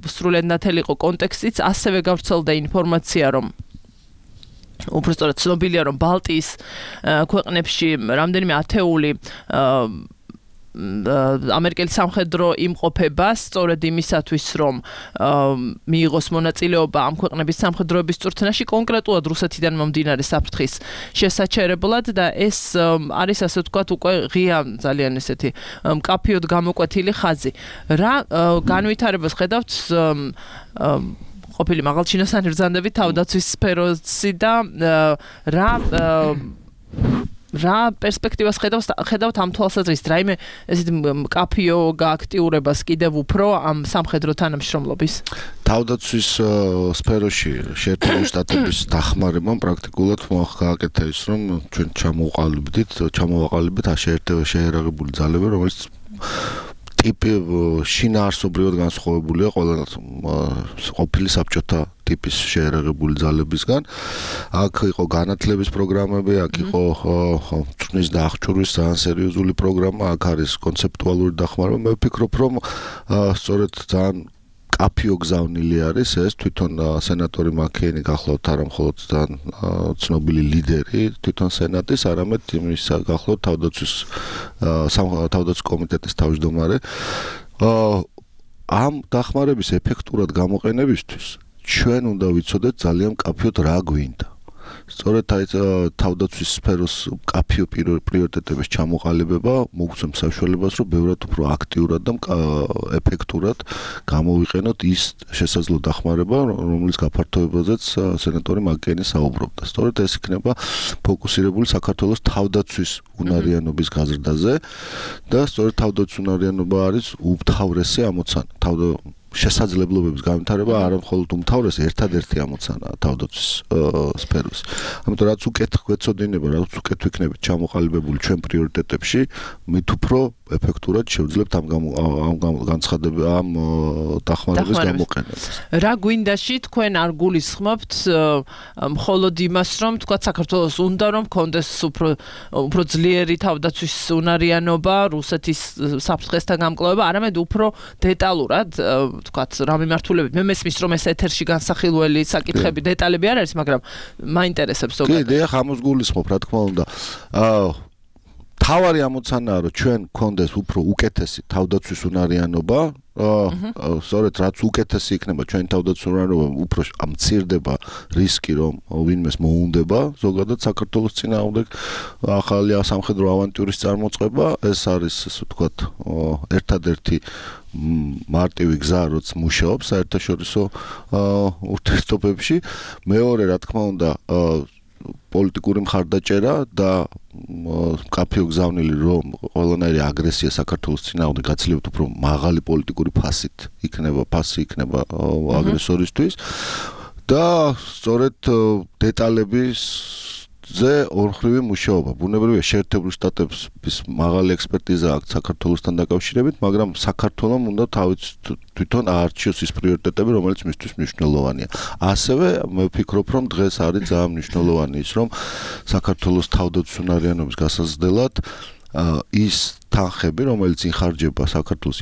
სრულად ნათელი იყო კონტექსტიც, ასევე გავრცელდა ინფორმაცია, რომ უბრალოდ ცნობილია, რომ ბალტიის ქვეყნებში რამდენიმე ათეული ამერიკელი სამხედრო იმყოფება სწორედ იმისათვის, რომ მიიღოს მონაწილეობა ამ ქვეყნების სამხედროების წვრთნაში, კონკრეტულად რუსეთიდან მომდინარე საფრთხის შესაჩერებლად და ეს არის ასე ვთქვათ უკვე ღია ძალიან ესეთი მკაფიოდ გამოკვეთილი ხაზი. რა განვითარებას ხედავთ ყოფილი მაღალჩინოსანი ბრძანდებით თავდაცვის სფეროში და რა პერსპექტივას ხედავთ ამ თვალსაზრისით, რაიმე ესეთი მკაფიო გააქტიურებას კიდევ უფრო ამ სამხედრო თანამშრომლობის? თავდაცვის სფეროში შეერთებული შტატების დახმარებამ პრაქტიკულად გააკეთა ის, რომ ჩვენ ჩამოვაყალიბდით შეერაღებული ძალები, რომელიც ტიპი შინაარსობრივად განსხვავებულია ყველა ყოფილი საბჭოთა ტიპის შეერაღებული ძალებისგან. აქ იყო განათლების პროგრამები, აქ იყო წვნის და აღჭურვის ძალიან სერიოზული პროგრამა, აქ არის კონცეპტუალური დახმარება. მე ვფიქრობ, რომ სწორედ ძალიან კაფიო გზავნილი არის ეს თვითონ სენატორი მაკეინი გახლავთ არა მხოლოდ ძალიან ცნობილი ლიდერი თვითონ სენატის, არამედ იმის გახლავთ თავდაცვის კომიტეტის თავმჯდომარე. ამ დახმარების ეფექტურად გამოყენებისთვის ჩვენ უნდა ვიცოდეთ ძალიან კაფიოდ რა გვინდა. სწორედ თავდაცვის სფეროს კაფიო პრიორიტეტების ჩამოყალიბება მოგცემს საშუალებას, რომ ბევრად უფრო აქტიურად და ეფექტურად გამოვიყენოთ ის შესაძლო დახმარება, რომლის გაფართოებაზეც სენატორი მაკეინი საუბრობდა. სწორედ ეს იქნება ფოკუსირებული საქართველოს თავდაცვის უნარიანობის გაზრდაზე და სწორედ თავდაცვის უნარიანობა არის უმთავრესი ამოცანა. შესაძლებლობების განვითარება არა მხოლოდ უმთავრესი, ერთადერთი ამოცანაა თავდაცვის სფეროს. ამიტომ რაც უკეთ გვეცოდინება, რაც უკეთ ვიქნებით ჩამოყალიბებული ჩვენ პრიორიტეტებში, მით უფრო ეფექტურად შევძლებთ ამ დახმარების გამოყენებას. რა გვინდაში თქვენ არ გულისხმობთ მხოლოდ იმას, რომ თქვა საქართველოს უნდა რომ კონდეს უფრო ძლიერი თავდაცვის უნარიანობა, რუსეთის საფრთხესთან გამკლავება, არამედ უფრო დეტალურად თქვათ რა მიმართულებით. მე მესმის რომ ეს ეთერში განსახილველი საკითხები დეტალები არ არის, მაგრამ მაინტერესებს ზოგადად. კი, დიახ, ამას გულისხმობ, რა თქმა უნდა. თავარი ამოცანაა, რომ ჩვენ გქონდეს უფრო უკეთესი თავდაცვის უნარიანობა, სწორედ რაც უკეთესი იქნება ჩვენი თავდაცვის უნარიანობა, უფრო ამცირდება რისკი, რომ ვინმეს მოუნდება ზოგადად საქართველოს წინააღმდეგ ახალი სამხედრო ავანტიურის წარმოწყება. ეს არის, ასე ვთქვათ, ერთადერთი მარტივი გზა, რაც მუშაობს საერთაშორისო ურთიერთობებში. მეორე, რა თქმა უნდა, პოლიტიკური მხარდაჭერა და კაფიო გზავნილი, რომ ყველანაირი აგრესია საქართველოს წინააღმდეგ გაცილებით უფრო მაღალი პოლიტიკური ფასი იქნება აგრესორისთვის და სწორედ დეტალებზე ორმხრივი მუშაობა. ბუნებრივია შეერთებული შტატების მაღალი ექსპერტიზა აქვს საქართველოსთან დაკავშირებით, მაგრამ საქართველოს უნდა თვითონ აარჩიოს ის პრიორიტეტები, რომელიც მისთვის მნიშვნელოვანია. ასევე მე ვფიქრობ, რომ დღეს არის ძალიან მნიშვნელოვანი ის, რომ საქართველოს თავდაცვის უნარიანობის გასაზრდელად ის თანხები, რომელიც ინხარჯება საქართველოს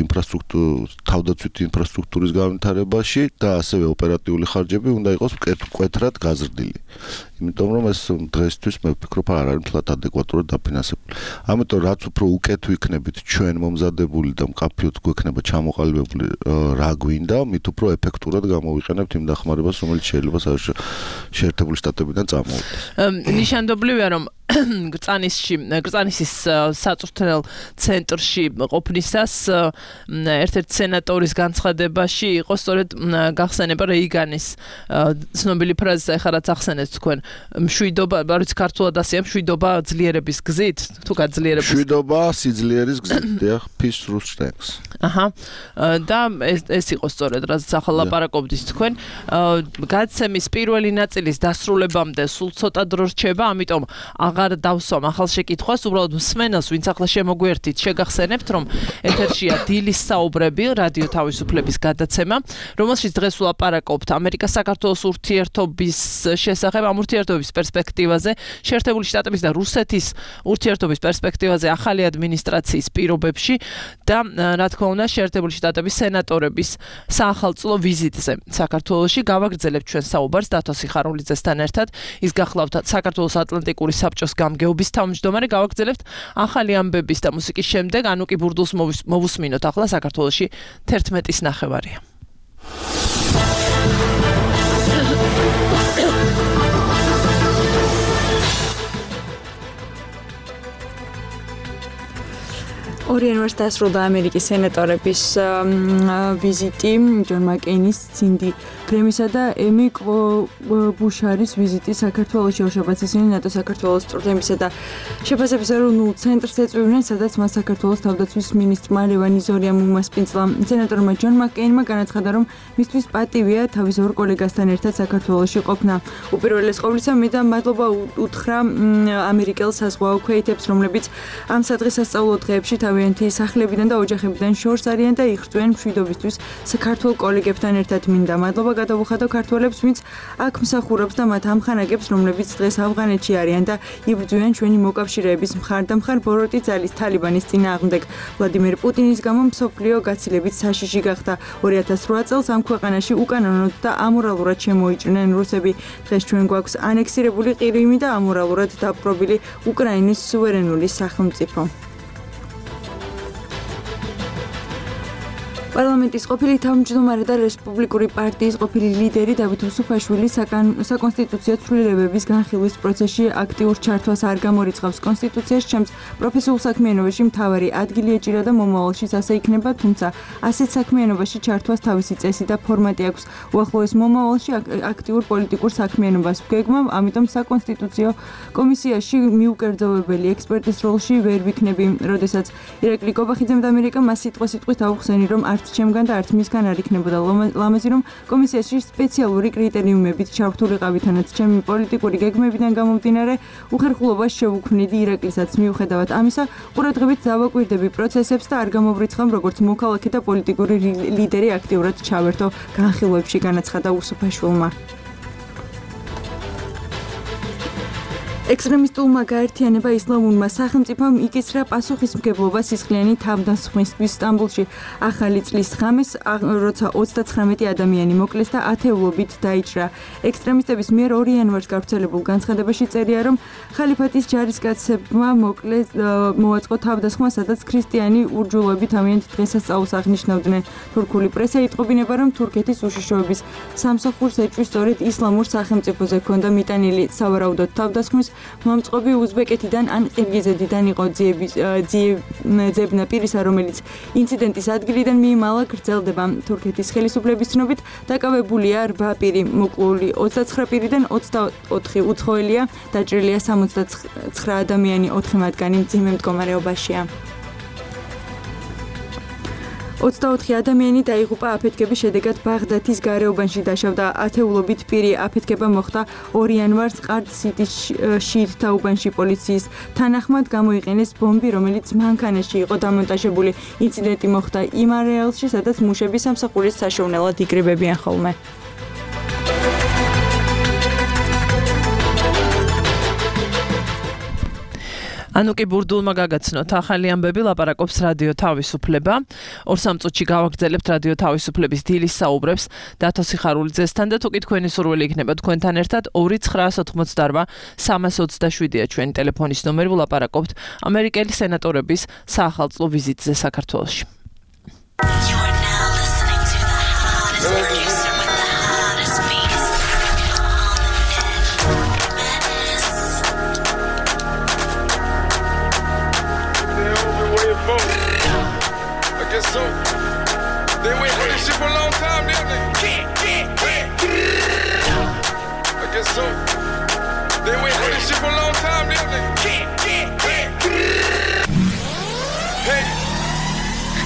თავდაცვითი ინფრასტრუქტურის განვითარებაში და ასევე ოპერატიული ხარჯები უნდა იყოს მკვეთრად გაზრდილი. იმიტომ რომ ეს დღესთვის მე ვფიქრობ არ არის მთლად ადეკვატურად დაფინანსებული. ამიტომ რაც უფრო უკეთ ვიქნებით ჩვენ მომზადებული და მკაფიოდ გვექნება ჩამოყალიბებული რა გვინდა, მით უფრო ეფექტურად გამოვიყენებთ იმ დახმარებას, რომელიც შეიძლება შეერთებული შტატებიდან წამოვიდეს. ნიშანდობლივია, რომ გრწანისის საწვრთნელ ცენტრში ყოფნისას ერთ-ერთი სენატორის განცხადებაში იყო სწორედ გახსენება რეიგანის ცნობილი ფრაზა, ეხლა რაც ახსენეთ თქვენ, მშვიდობა, არც ქართულად ასეა, მშვიდობა ძლიერების გზით, თუ გაძლიერების მშვიდობა სიძლიერის გზით, დიახ, peace through strength. და ეს იყო სწორედ რაც ახლა ლაპარაკობდით თქვენ. გადაცემის პირველი ნაწილის დასრულებამდე სულ ცოტა დრო რჩება, ამიტომ აღარ დავსვამ ახალ შეკითხვას, უბრალოდ მსმენელს, ვინც ახლა შემოგვერთით, შეგახსენებთ, რომ ეთერშია დილის საუბრები, რადიო თავისუფლების გადაცემა, რომელშიც დღეს ვლაპარაკობთ ამერიკა-საქართველოს ურთიერთობის შესახებ, ამ ურთიერთობის პერსპექტივაზე, შეერთებული შტატების და რუსეთის ურთიერთობის პერსპექტივაზე ახალი ადმინისტრაციის პირობებში და რა თქმა უნდა, შეერთებული შტატების სენატორების საახალწლო ვიზიტზე საქართველოში. გავაგრძელებთ ჩვენ საუბარს დათო სიხარულიძესთან ერთად. ის გახლავთ საქართველოს ატლანტიკური საბჭოს ბიუროს გამგეობის თავმჯდომარე. გავაგრძელებთ ახალი ამბების და მუსიკის შემდეგ ანუკი ბურდულს მოვუსმინოთ. ახლა საქართველოში 11:09. ორი იანვარს დასრულდა ამერიკის სენატორების ვიზიტი, ჯონ მაკეინის, სინდი გრემისა და ემი კლობუშარის ვიზიტი საქართველოში. ორშაბათს ისინი ნატო საქართველოს წვრთნებისა და შეფასების ეროვნულ ცენტრს ეწვივნენ, სადაც მას საქართველოს თავდაცვის მინისტრმა ლევან იზორიამ უმასპინძლა. სენატორმა ჯონ მაკეინმა განაცხადა, რომ მისთვის პატივია თავის ორ კოლეგასთან ერთად საქართველოში ყოფნა. უპირველეს ყოვლისა, მე და მადლობა უთხრა ამერიკელ საზღვაო ქვეითებს, რომლებიც ამ სადღესასწაულო დღეებში თავიანთი სახლებიდან და ოჯახებიდან შორს არიან და იღრწვიან მშვიდობისთვის საქართველოს კოლეგებთან ერთად. მინდა მადლობა გადავუხადო ქართველებს, ვინც აქ მსახურობს და მათ ამხანაგებს, რომლებიც დღეს ავღანეთში არიან და იბრძვიან ჩვენი მოკავშირეების მხარდამხარ ბოროტი ძალის თალიბანის წინააღმდეგ. ვლადიმერ პუტინის გამო მსოფლიო გაცილებით საშიში გახდა. 2008 წელს ამ ქვეყანაში უკანონოდ და ამორალურად შემოიჭრნენ რუსები. დღეს ჩვენ გვაქვს ანექსირებული ყირიმი და ამორალურად დაპყრობილი უკრაინის სუვერენული სახელმწიფო. პარლამენტის ყოფილი თავმჯდომარე და რესპუბლიკური პარტიის ყოფილი ლიდერი დავით უსუფაშვილი საკონსტიტუციო ცვლილებების განხილვის პროცესში აქტიურ ჩართვას არ გამორიცხავს. კონსტიტუციაში ჩემს პროფესიულ საქმიანობაში მთავარი ადგილი ეჭირა და მომავალშიც ასე იქნება, თუმცა ასეთ საქმიანობაში ჩართვას თავისი წესი და ფორმატი აქვს. უახლოეს მომავალში აქტიურ პოლიტიკურ საქმიანობას ვგეგმავ, ამიტომ საკონსტიტუციო კომისიაში მიუკერძოვებელი ექსპერტის როლში ვერ ვიქნები. როდესაც ირაკლი კობახიძემ ამერიკა მას სიტყვით აუხსენი, რომ არც ჩემგან და არც მისგან არ იქნებოდა ლამაზი, რომ კომისიაში სპეციალური კრიტერიუმებით ჩავრთულიყავი, თანაც ჩემი პოლიტიკური გეგმებიდან გამომდინარე უხერხულობას შევუქმნიდი ირაკლისაცს. მიუხედავად ამისა, ყურადღებით დავაკვირდები პროცესებს და არ გამოვრიცხავ, როგორც მოქალაქე და პოლიტიკური ლიდერი აქტიურად ჩავერთო განხილვებში, განაცხადა უსუფაშვილმა. ექსტრემისტულმა გაერთიანება ისლამურმა სახელმწიფომ იკისრა პასუხისმგებლობა სისხლიანი თავდასხმისთვის სტამბოლში. ახალი წლის ღამეს, როცა 39 ადამიანი მოკლეს და ათეულობით დაიჭრა. ექსტრემისტების მიერ 2 იანვარს გავრცელებულ განცხადებაში წერია, რომ ხალიფატის ჯარისკაცებმა მოაწყო თავდასხმა, სადაც ქრისტიანი ურჯულოები თავიანთ დღესასწაულს აღნიშნავდნენ. თურქული პრესა იტყობინება, რომ თურქეთის უშიშროების სამსახურს ეჭვის სწორედ ისლამურ სახელმწიფოზე ჰქონდა მიტანილი. სავარაუდოდ თავდასხმის მომწყობი უზბეკეთიდან ან ყირგიზეთიდან იყო. ძიებნა პირისა, რომელიც ინციდენტის ადგილიდან მიიმალა, გრძელდება. თურქეთის ხელისუფლების ცნობით დაკავებულია 8 პირი, მოკლული 29 პირიდან 24 უცხოელია, დაჭრილია 69 ადამიანი, 4 მათგანი მძიმე მდგომარეობაშია. 24 ადამიანი დაიღუპა აფეთქების შედეგად ბაღდათის გარეუბანში დაშავდა. ათეულობით პირი აფეთქება მოხდა 2 იანვარს ყარდ-სიტის შირთა უბანში. პოლიციის თანახმად გამოიყენეს ბომბი, რომელიც მანქანაში იყო დამონტაჟებული. ინციდენტი მოხდა იმ არეალში, სადაც მუშები სამსახურის საშოვნელად იკრიბებიან ხოლმე. ანუკი ბურდულმა გაგაცნოთ ახალი ამბები, ლაპარაკობს რადიო თავისუფლება. 2-3 წუთში გავაგრძელებთ რადიო თავისუფლების დილის საუბრებს დათო სიხარულიძესთან და თუ კი თქვენი სურვილი იქნება თქვენთან ერთად 2988 327-ია ჩვენი ტელეფონის ნომერი, ვლაპარაკობთ ამერიკელი სენატორების საახალწლო ვიზიტზე საქართველოში. So, they wait for this shit for a long time, didn't they? I guess so. They wait for this shit for a long time, didn't they? Hey,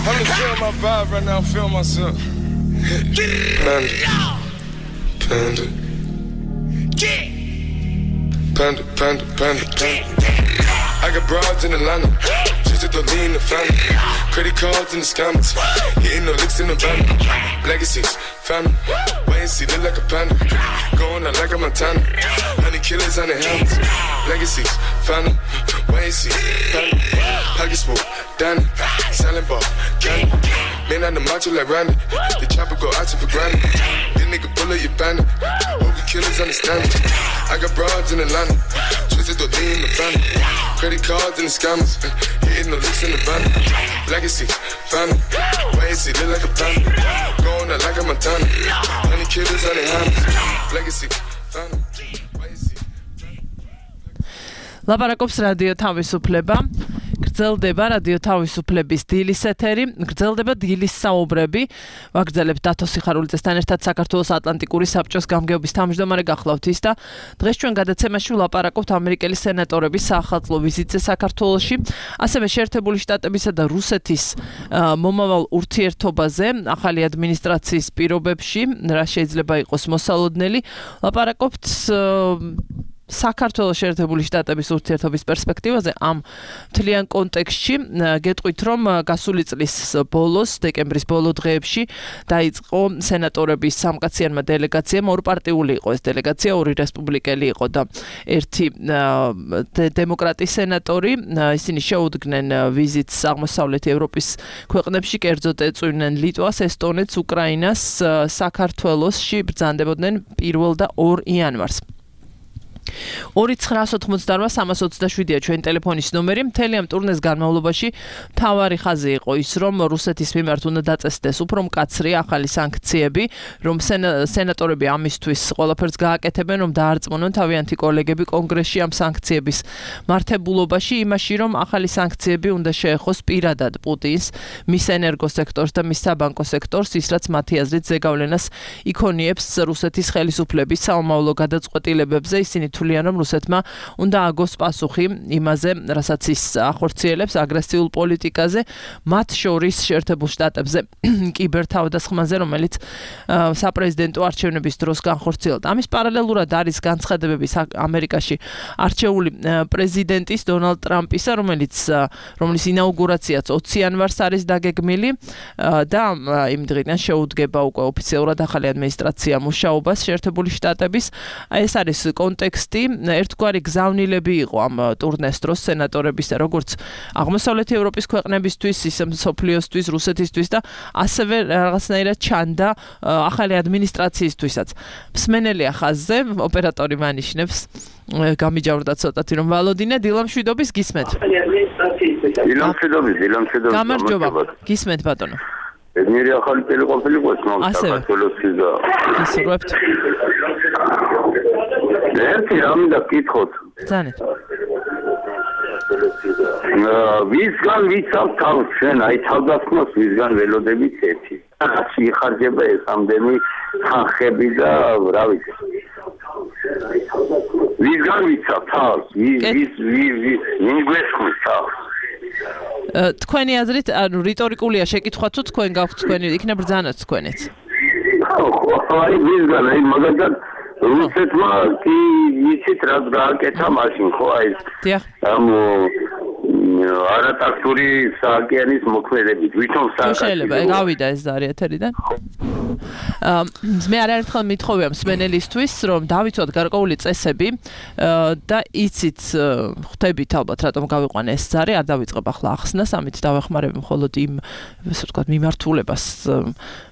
I'm just feeling my vibe right now, feel myself. Panda. I got broads in Atlanta. The lean the family, credit cards in the scammers, hitting the licks in the van, legacies, family, wait and see, look like a panda, going out like a Montana, 100 killers on the helmets, legacies, family, wait and see, family, pocket smoke, Danny, selling ball, candy, man on the macho like Randy, the chopper go out to for granted, this nigga bullet your bandit, hope you killers understand me. I got broads in Atlanta, twisted the in the family. Credit cards and the scammers, hitting the licks in the van. Legacy, family, why is it look like a plan? Going out like a Montana, honey killers on their hands. Legacy, family, why is it? ლაპარაკობს რადიო თავისუფლება. გრძელდება რადიო თავისუფლების დილის ეთერი, გრძელდება დილის საუბრები. ვაგრძელებთ დათო სიხარულიძესთან ერთად საქართველოს ატლანტიკური საბჭოს გამგეობის თავმჯდომარე გახლავთ ის და დღეს ჩვენ გადაცემაში ვლაპარაკობთ ამერიკელი სენატორების საახალწლო ვიზიტზე საქართველოში, ასევე შეერთებული შტატებისა და რუსეთის მომავალ ურთიერთობაზე, ახალი ადმინისტრაციის პირობებში, რა შეიძლება იყოს მოსალოდნელი. ვლაპარაკობთ საქართველოს შეერთებული შტატების ურთიერთობის პერსპექტივაზე ამ მთლიან კონტექსტში. გეტყვით, რომ გასული წლის ბოლოს, დეკემბრის ბოლო დღეებში დაიწყო სენატორების სამკაციანმა დელეგაციამ, ორპარტიული იყო ეს დელეგაცია, ორი რესპუბლიკელი იყო და ერთი დემოკრატი სენატორი. ისინი შეუდგნენ ვიზიტს აღმოსავლეთ ევროპის ქვეყნებში, კერძოდ ეწვივნენ ლიტვას, ესტონეთს, უკრაინას, საქართველოსში ბრძანდებოდნენ 1 და 2 იანვარს. 2-988-327-ია ჩვენი ტელეფონის ნომერი. მთელი ამ ტურნეს განმავლობაში მთავარი ხაზი იყო ის, რომ რუსეთის მიმართ უნდა დაწესდეს უფრო მკაცრი ახალი სანქციები, რომ სენატორები ამისთვის ყველაფერს გააკეთებენ, რომ დაარწმუნონ თავიანთი კოლეგები კონგრესში ამ სანქციების მართებულობაში, იმაში, რომ ახალი სანქციები უნდა შეეხოს პირადად პუტინს, მის ენერგოსექტორს და მის საბანკო სექტორს, ის რაც მათი აზრით ზეგავლენას იქონიებს რუსეთის ხელისუფლების საომავლო გადაწყვეტილებებზე. ისინი თვლიან, რომ რუსეთმა უნდა აგოს პასუხი იმაზე, რასაც ის ახორციელებს აგრესიულ პოლიტიკაზე, მათ შორის შეერთებულ შტატებზე კიბერთავდასხმაზე, რომელიც საპრეზიდენტო არჩევნების დროს განხორციელდა. ამის პარალელურად არის განცხადებები ამერიკაში არჩეული პრეზიდენტის დონალდ ტრამპისა, რომლის ინაუგურაციაც 20 იანვარს არის დაგეგმილი და იმ დღიდან შეუდგება უკვე ოფიციალურად ახალი ადმინისტრაცია მუშაობას შეერთებული შტატების. ეს არის კონტექსტი. ერთგვარი გზავნილები იყო ამ ტურნეს დროს სენატორებისა, როგორც აღმოსავლეთ ევროპის ქვეყნებისთვის, ისე მსოფლიოსთვის, რუსეთისთვის და ასევე რაღაცნაირად ჩანდა ახალი ადმინისტრაციისთვისაც. მსმენელია ხაზზე, ოპერატორი მანიშნებს, გამიჯავრდა ცოტათი რომ ვალოდინე, დილამშვიდობის გისმენთ. დილამშვიდობის. გამარჯობა. გისმენთ ბატონო. ბედნიერი ახალი წელი ყოფილიყო საქართველოსში და გისურვებთ. ერთი რამე და გითხოთ. ბრძანეთ. ვისგან ვიცავ თავს ჩვენ, აი თავდასხმას ვისგან ველოდებით ერთი. რაც იხარჯება ეს ამდენი ხანხები და რა ვიცი. ვისგან ვიცავ თავს, ვინ გვესხმის თავს. თქვენი აზრით, ანუ რიტორიკულია შეკითხვა თუ თქვენ გაქვთ თქვენი იქნებ ბრძანოთ თქვენიც. აი ვისგან, აი მაგალითად რუსეთმა კი იცით რაც გააკეთა მაშინ ხო აი ამ არატაქტური საოკეანის მოქმედებით ვითომ სააკეთო შეიძლება გავიდა ეს ზარი ეთერიდან მე არაერთხელ მithოვია მსმენელისთვის რომ დავიცვათ გარკვეული წესები და იცით ხვდებით ალბათ რატომ გავიყვანე ეს ზარი არ დავიწყებ ახლა ახსნას ამით დავეხმარებ მხოლოდ იმ ასე ვთქვათ მიმართულებას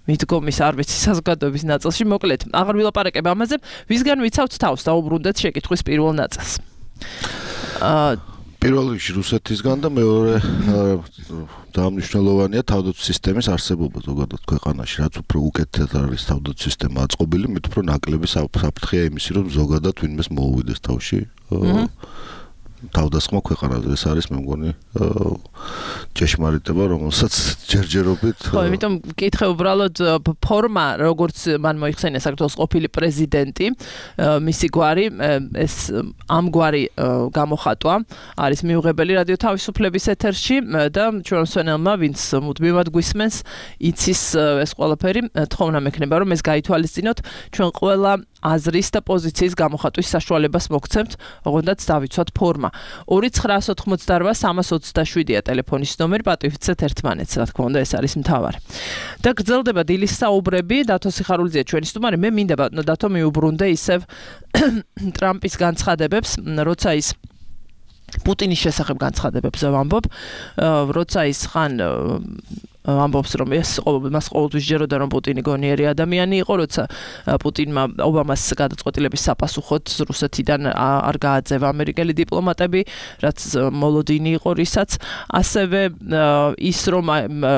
მიდგომის არ ვიცი საზოგადოების ნაწილში მოკლედ აღარ ვილაპარაკებ ამაზე ვისგან ვიცავთ თავს დაუბრუნდეთ შეკითხვის პირველ ნაწილს პირველ რიგში რუსეთისგან და მეორე დაამნიშნელოვანია თავდაცვის სისტემის არსებობა ზოგადად ქვეყანაში რაც უფრო უკეთად არის თავდაცვის სისტემა აწყობილი მით უფრო ნაკლები საფრთხეა იმისი რომ ზოგადად ვინმეს მოუვიდეს თავში თავდასხმა ქვეყანაზე ეს არის მე მგონი ჭეშმარიტება რომელსაც ჯერჯერობით ხო იმიტომ მკითხე უბრალოდ ფორმა როგორც მან მოიხსენია საქართველოს ყოფილი პრეზიდენტი მისი გვარი ეს ამგვარი გამოხატვა არის მიუღებელი რადიო თავისუფლების ეთერში და ჩვენ მსვენელმა ვინც მუდმივად გვისმენს იცის ეს ყველაფერი თხოვნა მექნება რომ ეს გაითვალისწინოთ ჩვენ ყველა აზრის და პოზიციის გამოხატვის საშუალებას მოგცემთ, ოღონდაც დავიცვათ ფორმა. 2-988-327-ია ტელეფონის ნომერი, პატივიცეთ ერთმანეთს, რა თქმა უნდა, ეს არის მთავარი. და გრძელდება დილის საუბრები, დათო სიხარულიძეა ჩვენი სტუმარი, მე მინდა ბატონო დათო მიუბრუნდე ისევ ტრამპის განცხადებებს, როცა ის პუტინის შესახებ განცხადებებს ვამბობ, როცა ის ხან ამბობს რომ მას ყოველთვის ჯეროდა რომ პუტინი გონიერი ადამიანი იყო, როცა პუტინმა ობამას გადაწყვეტილების საპასუხოდ რუსეთიდან არ გააძევა ამერიკელი დიპლომატები, რაც მოლოდინი იყო რისაც, ასევე ის რომ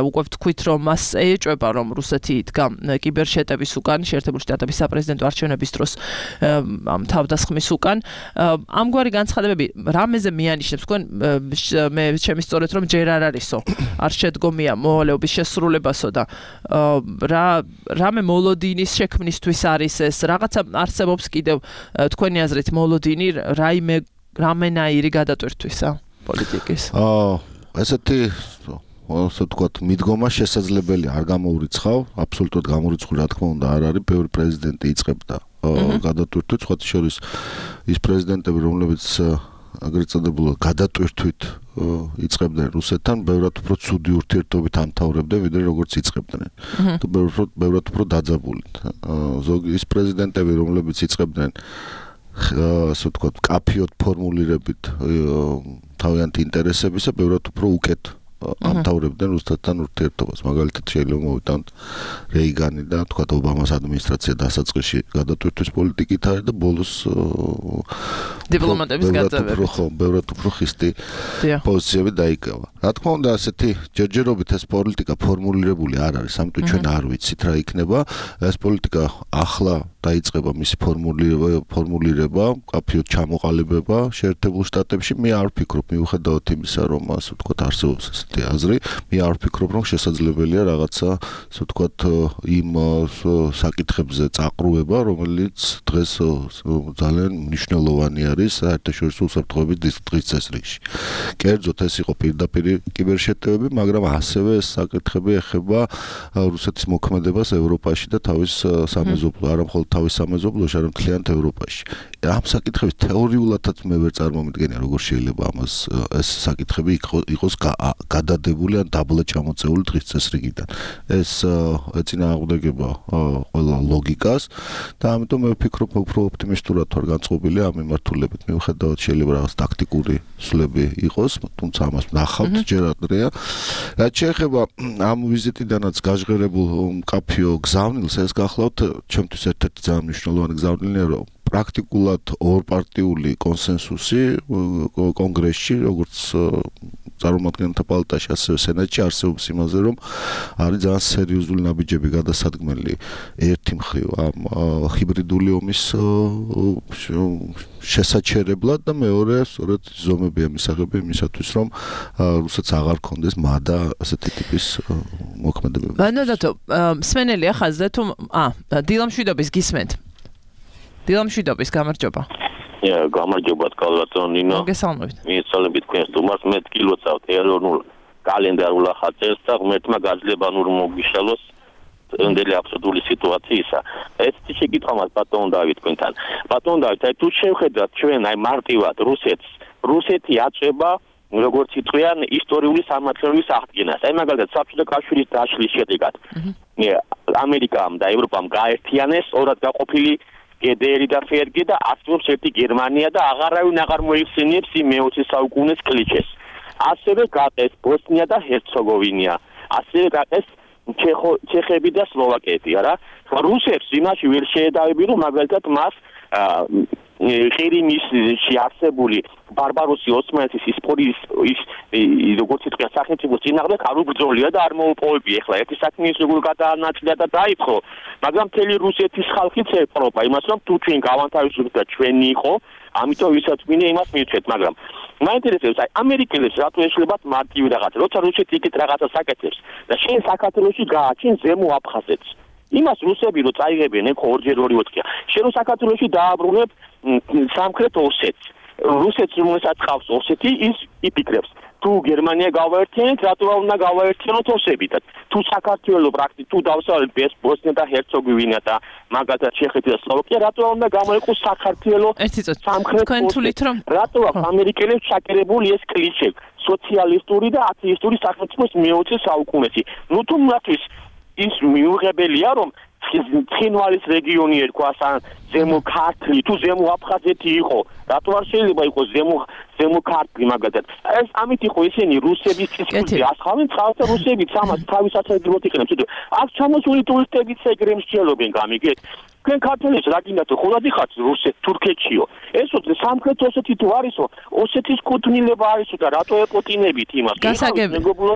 უკვე ვთქვით რომ მას ეჭვება რომ რუსეთი იდგა კიბერშეტევის უკან, შეერთებული შტატების საპრეზიდენტო არჩევნების დროს ამ თავდასხმის უკან. ამგვარი განცხადებები რამეზე მიანიშნებს თქვენ მე ჩემი სწორედ რომ ჯერ არ არისო არ შედგომია მოვალეობის შესრულებასო და რამე მოლოდინის შექმნისთვის არის ეს რაღაცა არსებობს კიდევ თქვენი აზრით მოლოდინი რამენაირი გადატვირთვისა პოლიტიკის ესეთი ასე ვთქვათ მიდგომა შესაძლებელია არ გამოურიცხავ აბსოლუტურად გამორიცხული რა თქმა უნდა არ არის ბევრი პრეზიდენტი იწყებდა გადატვირთვით სხვათა შორის ის პრეზიდენტები რომლებიც აგრეთ წოდებულად გადატვირთვით იწყებდნენ რუსეთთან ბევრად უფრო ცუდი ურთიერთობით ამთავრებდნენ ვიდრე როგორც იწყებდნენ თუ ბევრად უფრო დაძაბულით ზოგი ის პრეზიდენტები რომლებიც იწყებდნენ ასე ვთქვათ კაფიოდ ფორმულირებით თავიანთი ინტერესებისა ბევრად უფრო უკეთ ამთავრებდნენ რუსეთთან ურთიერთობას მაგალითად შეიძლება მოვიტანოთ რეიგანი და თქვათ ობამას ადმინისტრაცია დასაწყისში გადატვირთვის პოლიტიკით არის და ბოლოს დიპლომატების გაძევებით ბევრად უფრო ხისტი პოზიციები დაიკავა რა თქმა უნდა ასეთი ჯერჯერობით ეს პოლიტიკა ფორმულირებული არ არის ამიტომ ჩვენ არ ვიცით რა იქნება ეს პოლიტიკა ახლა დაიწყება მისი ფორმულირება კაფიოდ ჩამოყალიბება შეერთებულ შტატებში მე არ ვფიქრობ მიუხედავად იმისა რომ ასე ვთქვათ არსებობს ესეთი აზრი მე არ ვფიქრობ რომ შესაძლებელია რაღაცა ასე ვთქვათ იმ საკითხებზე წაყრუება რომელიც დღეს ძალიან მნიშვნელოვანი არის საერთაშორისო უსაფრთხოების დისკრეტის წესრიგში კერძოდ ეს იყო პირდაპირ კიბერშეტევები მაგრამ ასევე ეს საკითხები ეხება რუსეთის მოქმედებას ევროპაში და თავის სამეზობლო არა მხოლოდ თავის სამეზობლოში, არამედ მთლიანად ევროპაში. ამ საკითხების თეორიულადაც მე ვერ წარმომიდგენია, როგორ შეიძლება ამას ეს საკითხები იყოს გადადებული ან დაბლა ჩამოწეული დღის წესრიგიდან. ეს ეწინააღმდეგება ყველა ლოგიკას და ამიტომ მე ვფიქრობ, უფრო ოპტიმისტურად ვარ განწყობილი ამ მიმართულებით. მიუხედავად შეიძლება რაღაც ტაქტიკური სვლები იყოს, თუმცა ამას ნახავთ ჯერ ადრეა. რაც შეეხება ამ ვიზიტიდანაც გაჟღერებულ მკაფიო გზავნილს, ეს გახლავთ ჩემთვის ერთ-ერთი ძალიან მნიშვნელოვანი გზავნილია, რომ პრაქტიკულად ორპარტიული კონსენსუსი კონგრესში, როგორც წარმომადგენელთა პალატაში, ასევე სენატში არსებობს იმაზე, რომ არის ძალიან სერიოზული ნაბიჯები გადასადგმელი ერთი მხრივ ამ ჰიბრიდული ომის შესაჩერებლად და მეორე სწორედ ზომებია მისაღები იმისათვის, რომ რუსეთს აღარ ქონდეს მადა ასეთი ტიპის მოქმედებები. ბანადათო, მსმენელია ხაზზე თუ დილამშვიდობის გისმენთ. დილამშვიდობის გამარჯობა. გამარჯობა კალვატონ ნინო. მოგესალმებით. მიეცალებით თქვენს თუმას მე ტკილოცავ ეროვნულ კალენდარულ ახალწელს და ღმერთმა გაძლება ნურ მოგიშალოს ამდელი აბსურდული სიტუაციისა. ეს შეკითხვა მას ბატონ დავით თქვენთან. ბატონ დავით, აი თუ შევხედათ ჩვენ აი მარტივად რუსეთი აწვება როგორც იტყვიან ისტორიული სამართლების აღდგენას. აი მაგალითად საბჭოთა კავშირის დაშლის შედეგად ამერიკამ და ევროპამ გაერთიანეს ორად გაყოფილი გედერი და ფერგი და აცნობს ერთი გერმანია და აღარავინ აღარ მოიხსენიებს იმ მე-20 საუკუნის კლიშეს. ასევე გაყეს ბოსნია და ჰერცეგოვინა. ასევე გაყეს ჩეხები და სლოვაკეთი, არა? რუსებს იმაში ვერ შეედავები, რომ მაგალითად მას ყირიმში არსებული ბარბაროსი ოსმალეთის ისტორიის როგორც იტყვიან სახელმწიფოს წინააღმდეგ არ უბრძოლია და არ მოუპოვებია. ეხლა ერთი საქმე ის როგორ გადაანაწილდა და დაიწყო, მაგრამ მთელი რუსეთის ხალხიც ეპყრობა იმას, რომ თუ ჩვენ გავანთავისუფლდით და ჩვენი იყო, ამიტომ ვისაც მინე იმას მივცეთ, მაგრამ მაინტერესებს აი ამერიკელებს რატო ეშლებათ მარტივი რაღაცა, როცა რუსეთი იქით რაღაცა საკეთებს და შენ საქართველოში გააჩენ ზემო აფხაზეთს. იმას რუსები რო წაიღებენ ეხო ორჯერ 2-4-ია. შენ რო საქართველოში დააბრუნებ სამხრეთ ოსეთს. რუსეთს რომელსაც ყავს ოსეთი ის იფიქრებს. თუ გერმანია გავაერთიანეთ, რატო უნდა გავაერთიანოთ ოსებითაც? თუ საქართველოს პრაქტიკულად თუ დავსალეთ ბოსნია და ჰერცეგოვინა და მაგალითად ჩეხეთი და სლოვაკია, რატო უნდა გამოიყოს საქართველოს სამხრეთ ოსეთი? რატო ამერიკელებს ჩაკერებული ეს კლიშე სოციალისტური და ათეისტური სახელმწიფოს მე-20 საუკუნეში? ნუ თუმრათვის ის მიუღებელია რომ ცხინვალის რეგიონი ერქვა ზემო ქართლი თუ ზემო აფხაზეთი იყო რატო არ შეიძლება იყოს ზემო ქართლი მაგალითად ეს ამით იყო ისინი რუსების ცისკუზე ასხავენ წყალს და რუსები სამას თავის საერთოდ იყენებს აქ ჩამოსული ტურისტებიც ეგრე მსჯელობენ გამიგეთ თქვენ ქართველებს რა გინდათ ხოლმე ხართ რუსეთ თურქეთშიო ეს სამხრეთ ოსეთი თუ არისო ოსეთის კუთვნილება არისო და რატო ეპოტინებით იმას მეგობრებო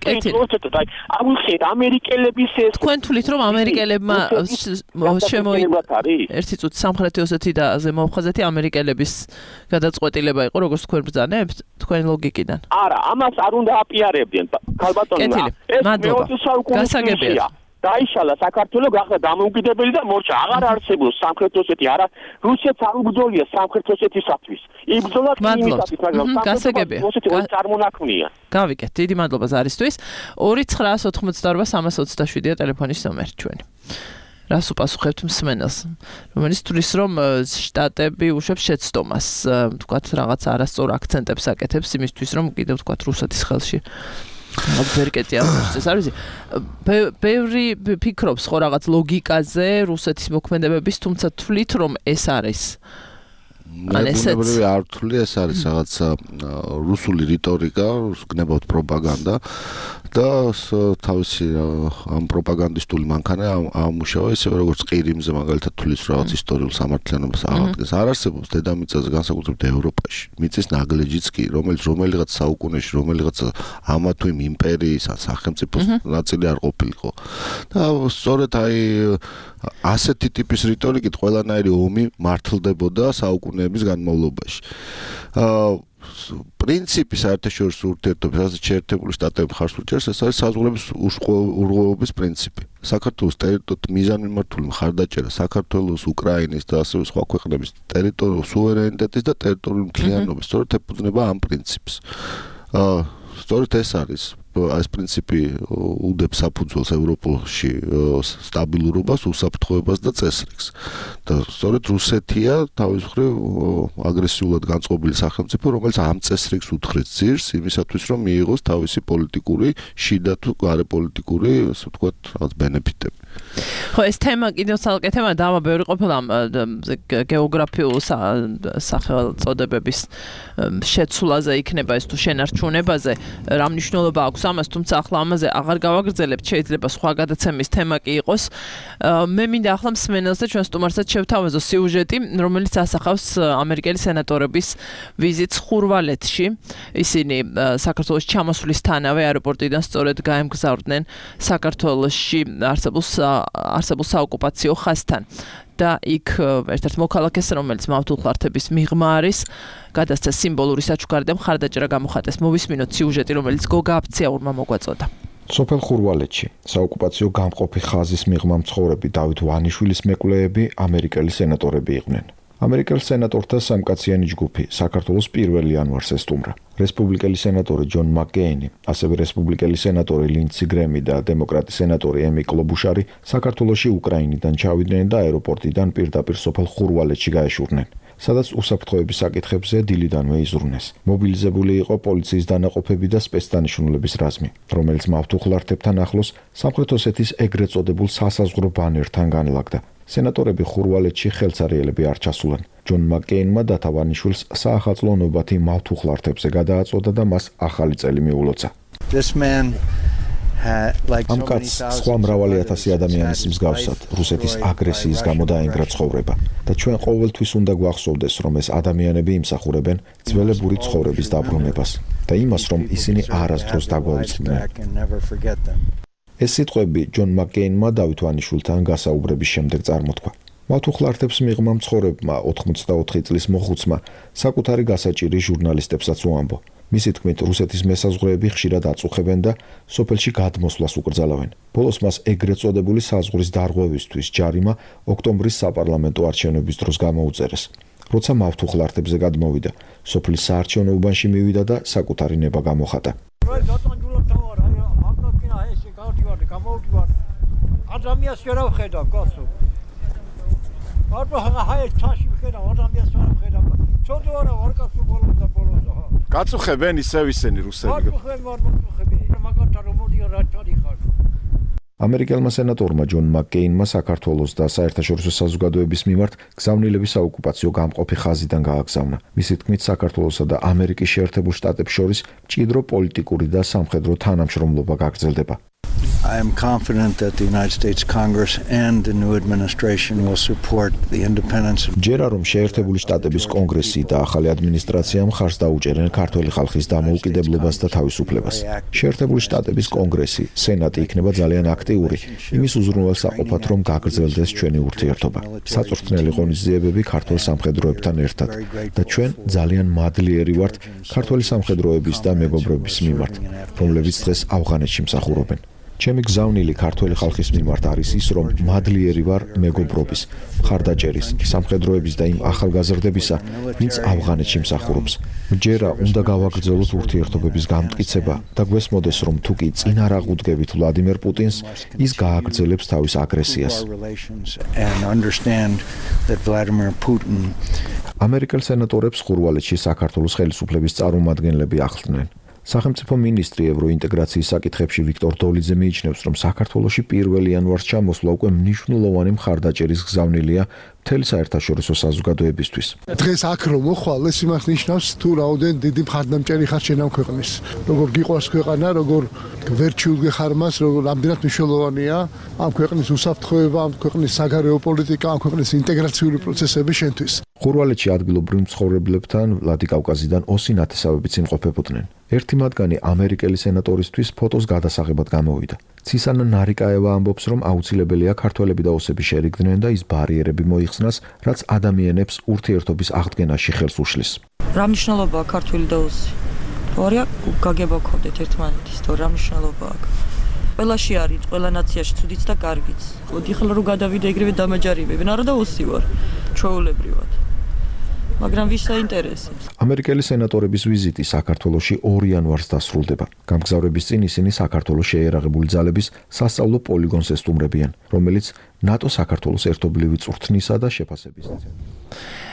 აღვიხეთ ამერიკელების ეს თქვენ თulit რომ ამერიკელებმა შემოიღოთ ერთი წუთი სამხრეთი ოსეთი და ზემო აფხაზეთი ამერიკელების გადაწყვეტილება იყო როგორც თქვენ ბრძანებთ თქვენი ლოგიკიდან არა ამას არ უნდა აპიარებდნენ ქალბატონო ეს მეოცე საუკუნეა დაიშალა საქართველოს გახდა დამოუკიდებელი და მორჩა აღარ არსებობს სამხრეთ ოსეთი არა რუსეთს არ უბრძოლია სამხრეთ ოსეთისათვის იბრძოლა კინისათვის მაგრამ გასაგებია ოსეთი ორი წარმონაქმნია გავიგეთ დიდი მადლობა ზარისთვის 2988-27-ია ტელეფონის ნომერი ჩვენი რას უპასუხებთ მსმენელს რომელიც თulis რომ შტატები უშვებს შეცდომას თქვათ რაღაც არასწორ აქცენტებს აკეთებს იმისთვის რომ კიდევ თქვათ რუსეთის ხელში ვერკეტი არის არის ბევრი ფიქრობს ხო რაღაც ლოგიკაზე რუსეთის მოქმედებების თუმცა თulit რომ ეს არის ნებრივი არ თვლი ეს არის რაღაც რუსული რიტორიკა გნებავთ პროპაგანდა და თავისი ამ პროპაგანდისტული მანქანა ამუშავა ისე როგორც ყირიმზე მაგალითად თulis რაღაც ისტორიულ სამართლიანობას აღადგენს არ არსებობს დედამიწაზე განსაკუთრებით ევროპაში მიწის ნაგლეჯიც კი რომელიღაც საუკუნეში რომელიღაც ამა თუ იმ იმპერიის სახელმწიფოს ნაწილი არ ყოფილიყო და სწორედ აი ასეთი ტიპის რიტორიკით ყველანაირი ომი მართლდებოდა საუკუნეების განმავლობაში პრინციპი საერთაშორისო ურთიერთობების ასე შეერთებული შტატები მხარს უჭერს ეს არის საზღვრების ურღვევობის პრინციპი საქართველოს ტერიტორიით მიზანმიმართული მხარდაჭერა საქართველოს უკრაინის და ასევე სხვა ქვეყნების ტერიტორიულ სუვერენიტეტის და ტერიტორიული მთლიანობის სწორედ ეფუძნება ამ პრინციპს სწორედ ეს არის ეს პრინციპი უდებს საფუძველს ევროპაში სტაბილურობას, უსაფრთხოებას და წესრიგს. და სწორედ რუსეთია თავის მხრივ აგრესიულად განწყობილი სახელმწიფო, რომელიც ამ წესრიგს უთხრეს ძირს იმისათვის, რომ მიიღოს თავისი პოლიტიკური, შიდა თუ გარეპოლიტიკური, ასე ვთქვათ, რაღაც ბენეფიტები. ხო, ეს თემა კიდევ ცალკე თემა დავა ბევრი ყოფილა გეოგრაფიულ სახელწოდებების შეცვლაზე იქნება ეს თუ შენარჩუნებაზე, რა მნიშვნელობა აქვს ამას, თუმცა ახლა ამაზე აღარ გავაგრძელებთ, შეიძლება სხვა გადაცემის თემა კი იყოს. მე მინდა ახლა მსმენელს და ჩვენ სტუმარსაც შევთავაზო სიუჟეტი, რომელიც ასახავს ამერიკელი სენატორების ვიზიტს ხურვალეთში. ისინი საქართველოს ჩამოსვლისთანავე აეროპორტიდან სწორედ გაემგზავრდნენ საქართველოში არსებულ საოკუპაციო ხაზთან. და იქ ერთ-ერთ მოქალაქეს, რომელიც მავთულხლართების მიღმა არის, გადასცა სიმბოლური საჩუქარი და მხარდაჭერა გამოხატეს. მოვისმინოთ სიუჟეტი, რომელიც გოგა აფციაურმა მოგვაწოდა. სოფელ ხურვალეთში საოკუპაციო გამყოფი ხაზის მიღმა მცხოვრები დავით ვანიშვილის მეკვლეები ამერიკელი სენატორები იყვნენ. ამერიკელ სენატორთა სამკაციანი ჯგუფი საქართველოს 1 იანვარს ესტუმრა. რესპუბლიკელი სენატორი ჯონ მაკკეინი, ასევე რესპუბლიკელი სენატორი ლინდსი გრემი და დემოკრატი სენატორი ემი კლობუშარი საქართველოში უკრაინიდან ჩავიდნენ და აეროპორტიდან პირდაპირ სოფელ ხურვალეთში გაეშურნენ. სადაც უსაფრთხოების საკითხებზე დილიდანვე იზრუნეს. მობილიზებული იყო პოლიციის დანაყოფები და სპეცდანიშნულების რაზმი, რომელიც მავთულხლართებთან ახლოს სამხრეთ ოსეთის ეგრეთ წოდებულ სასაზღვრო ბანერთან განლაგდა. სენატორები ხურვალეთში ხელცარიელები არ ჩასულან. ჯონ მაკკეინმა დათავანიშვილს საახალწლო ნობათი მავთულხლართებზე გადააწოდა და მას ახალი წელი მიულოცა. ამ კაცს სხვა მრავალი ათასი ადამიანის მსგავსად რუსეთის აგრესიის გამო დაენგრა ცხოვრება და ჩვენ ყოველთვის უნდა გვახსოვდეს, რომ ეს ადამიანები იმსახურებენ ძველებური ცხოვრების დაბრუნებას და იმას, რომ ისინი არასდროს დაგვავიწყდნენ. ეს სიტყვები ჯონ მაკკეინმა დავით ვანიშვილთან გასაუბრების შემდეგ წარმოთქვა. მავთულხლართებს მიღმა მცხოვრებმა 84 წლის მოხუცმა საკუთარი გასაჭირი ჟურნალისტებსაც უამბო. მისი თქმით, რუსეთის მესაზღვრეები ხშირად აწუხებენ და სოფელში გადმოსვლას უკრძალავენ. ბოლოს მას ეგრეთ წოდებული საზღვრის დარღვევისთვის ჯარიმა ოქტომბრის საპარლამენტო არჩევნების დროს გამოუწერეს. როცა მავთულხლართებზე გადმოვიდა, სოფლის საარჩევნო უბანში მივიდა და საკუთარი ნება გამოხატა. ადამიანს ვერ ვხედავ, კაცო. აბა ჰაი ჩაში ვხედავ, ადამიანს ვერ ვხედავ. ცოტა ვარ კაცო ბოლოს და ბოლოს. გაწუხებენ ისევ ისინი რუსები. გაწუხებენ, მაგათთან რომ მოდიო რა ჩადიხარ. ამერიკელმა სენატორმა ჯონ მაკკეინმა საქართველოს და საერთაშორისო საზოგადოების მიმართ გზავნილების საოკუპაციო გამყოფი ხაზიდან გააგზავნა. მისი თქმით, საქართველოსა და ამერიკის შეერთებულ შტატებს შორის მჭიდრო პოლიტიკური და სამხედრო თანამშრომლობა გაგრძელდება. I am confident that the United States Congress and the new administration will support the independence of ჯერა რომ შეერთებული შტატების კონგრესი და ახალი ადმინისტრაცია მხარს დაუჭერენ ქართველი ხალხის დამოუკიდებლობას და თავისუფლებას. შეერთებული შტატების კონგრესი, სენატი იქნება ძალიან აქტიური, იმის უზრუნველსაყოფად რომ გაგრძელდეს ჩვენი ურთიერთობა. საწვრთნელი ღონისძიებები ქართველ სამხედროებთან ერთად და ჩვენ ძალიან მადლიერი ვართ ქართველი სამხედროების და მეგობრების მიმართ, რომლებიც დღეს ავღანეთში მსახურობენ. ჩემი გზავნილი ქართველი ხალხის მიმართ არის ის, რომ მადლიერი ვარ მეგობრობის, მხარდაჭერის, სამხედროების და იმ ახალგაზრდებისა, ვინც ავღანეთში მსახურობს. მჯერა უნდა გავაგრძელოთ ურთიერთობების გამტკიცება და გვესმოდეს, რომ თუ კი წინ არ აღუდგებით ვლადიმერ პუტინს, ის გააგრძელებს თავის აგრესიას. ამერიკელ სენატორებს ხურვალეთში საქართველოს ხელისუფლების წარმომადგენლები ახლდნენ. სახელმწიფო მინისტრი ევროინტეგრაციის საკითხებში ვიქტორ დოლიძე მიიჩნევს, რომ საქართველოში 1 იანვარს ჩამოსვლა უკვე მნიშვნელოვანი მხარდაჭერის გზავნილია მთელი საერთაშორისო საზოგადოებისთვის. დღეს აქ რომ მოხვალ, ეს იმას ნიშნავს, თუ რაოდენ დიდი მხარდამჭერი ხარ შენ ამ ქვეყნის. როგორ გიყვარს ქვეყანა, როგორ ვერ ჩიუდგეხარ მას, როგორ რამდენად მნიშვნელოვანია ამ ქვეყნის უსაფრთხოება, ამ ქვეყნის საგარეო პოლიტიკა, ამ ქვეყნის ინტეგრაციული პროცესები შენთვის. ხურვალეთში ადგილობრივ მცხოვრებლებთან ვლადიკავკაზიდან ოსი ნათესავებიც იმყოფებოდნენ. ერთი მათგანი ამერიკელი სენატორისთვის ფოტოს გადასაღებად გამოვიდა. ცისანა ნარიკაევა ამბობს, რომ აუცილებელია ქართველები და ოსები შერიგდნენ და ის ბარიერები მოიხსნას, რაც ადამიანებს ურთიერთობის აღდგენაში ხელს უშლის. რა მნიშვნელობაა ქართველი და ოსი? თორია გაგება გქონდეთ ერთმანეთის, თორე რა მნიშვნელობა აქვს? ყველაში არის, ყველა ნაციაში ცუდიც და კარგიც. მოდი ხლა რომ გადავიდე ეგრევე დამაჯარებებენ, არა და ოსი ვარ, ჩვეულებრივად. მაგრამ ვის საინტერესებს? ამერიკელი სენატორების ვიზიტი საქართველოში 2 იანვარს დასრულდება. გამგზავრების წინ ისინი საქართველოს შეიარაღებული ძალების სასწავლო პოლიგონს ესტუმრებიან, რომელიც ნატო საქართველოს ერთობლივი წვრთნისა და შეფასების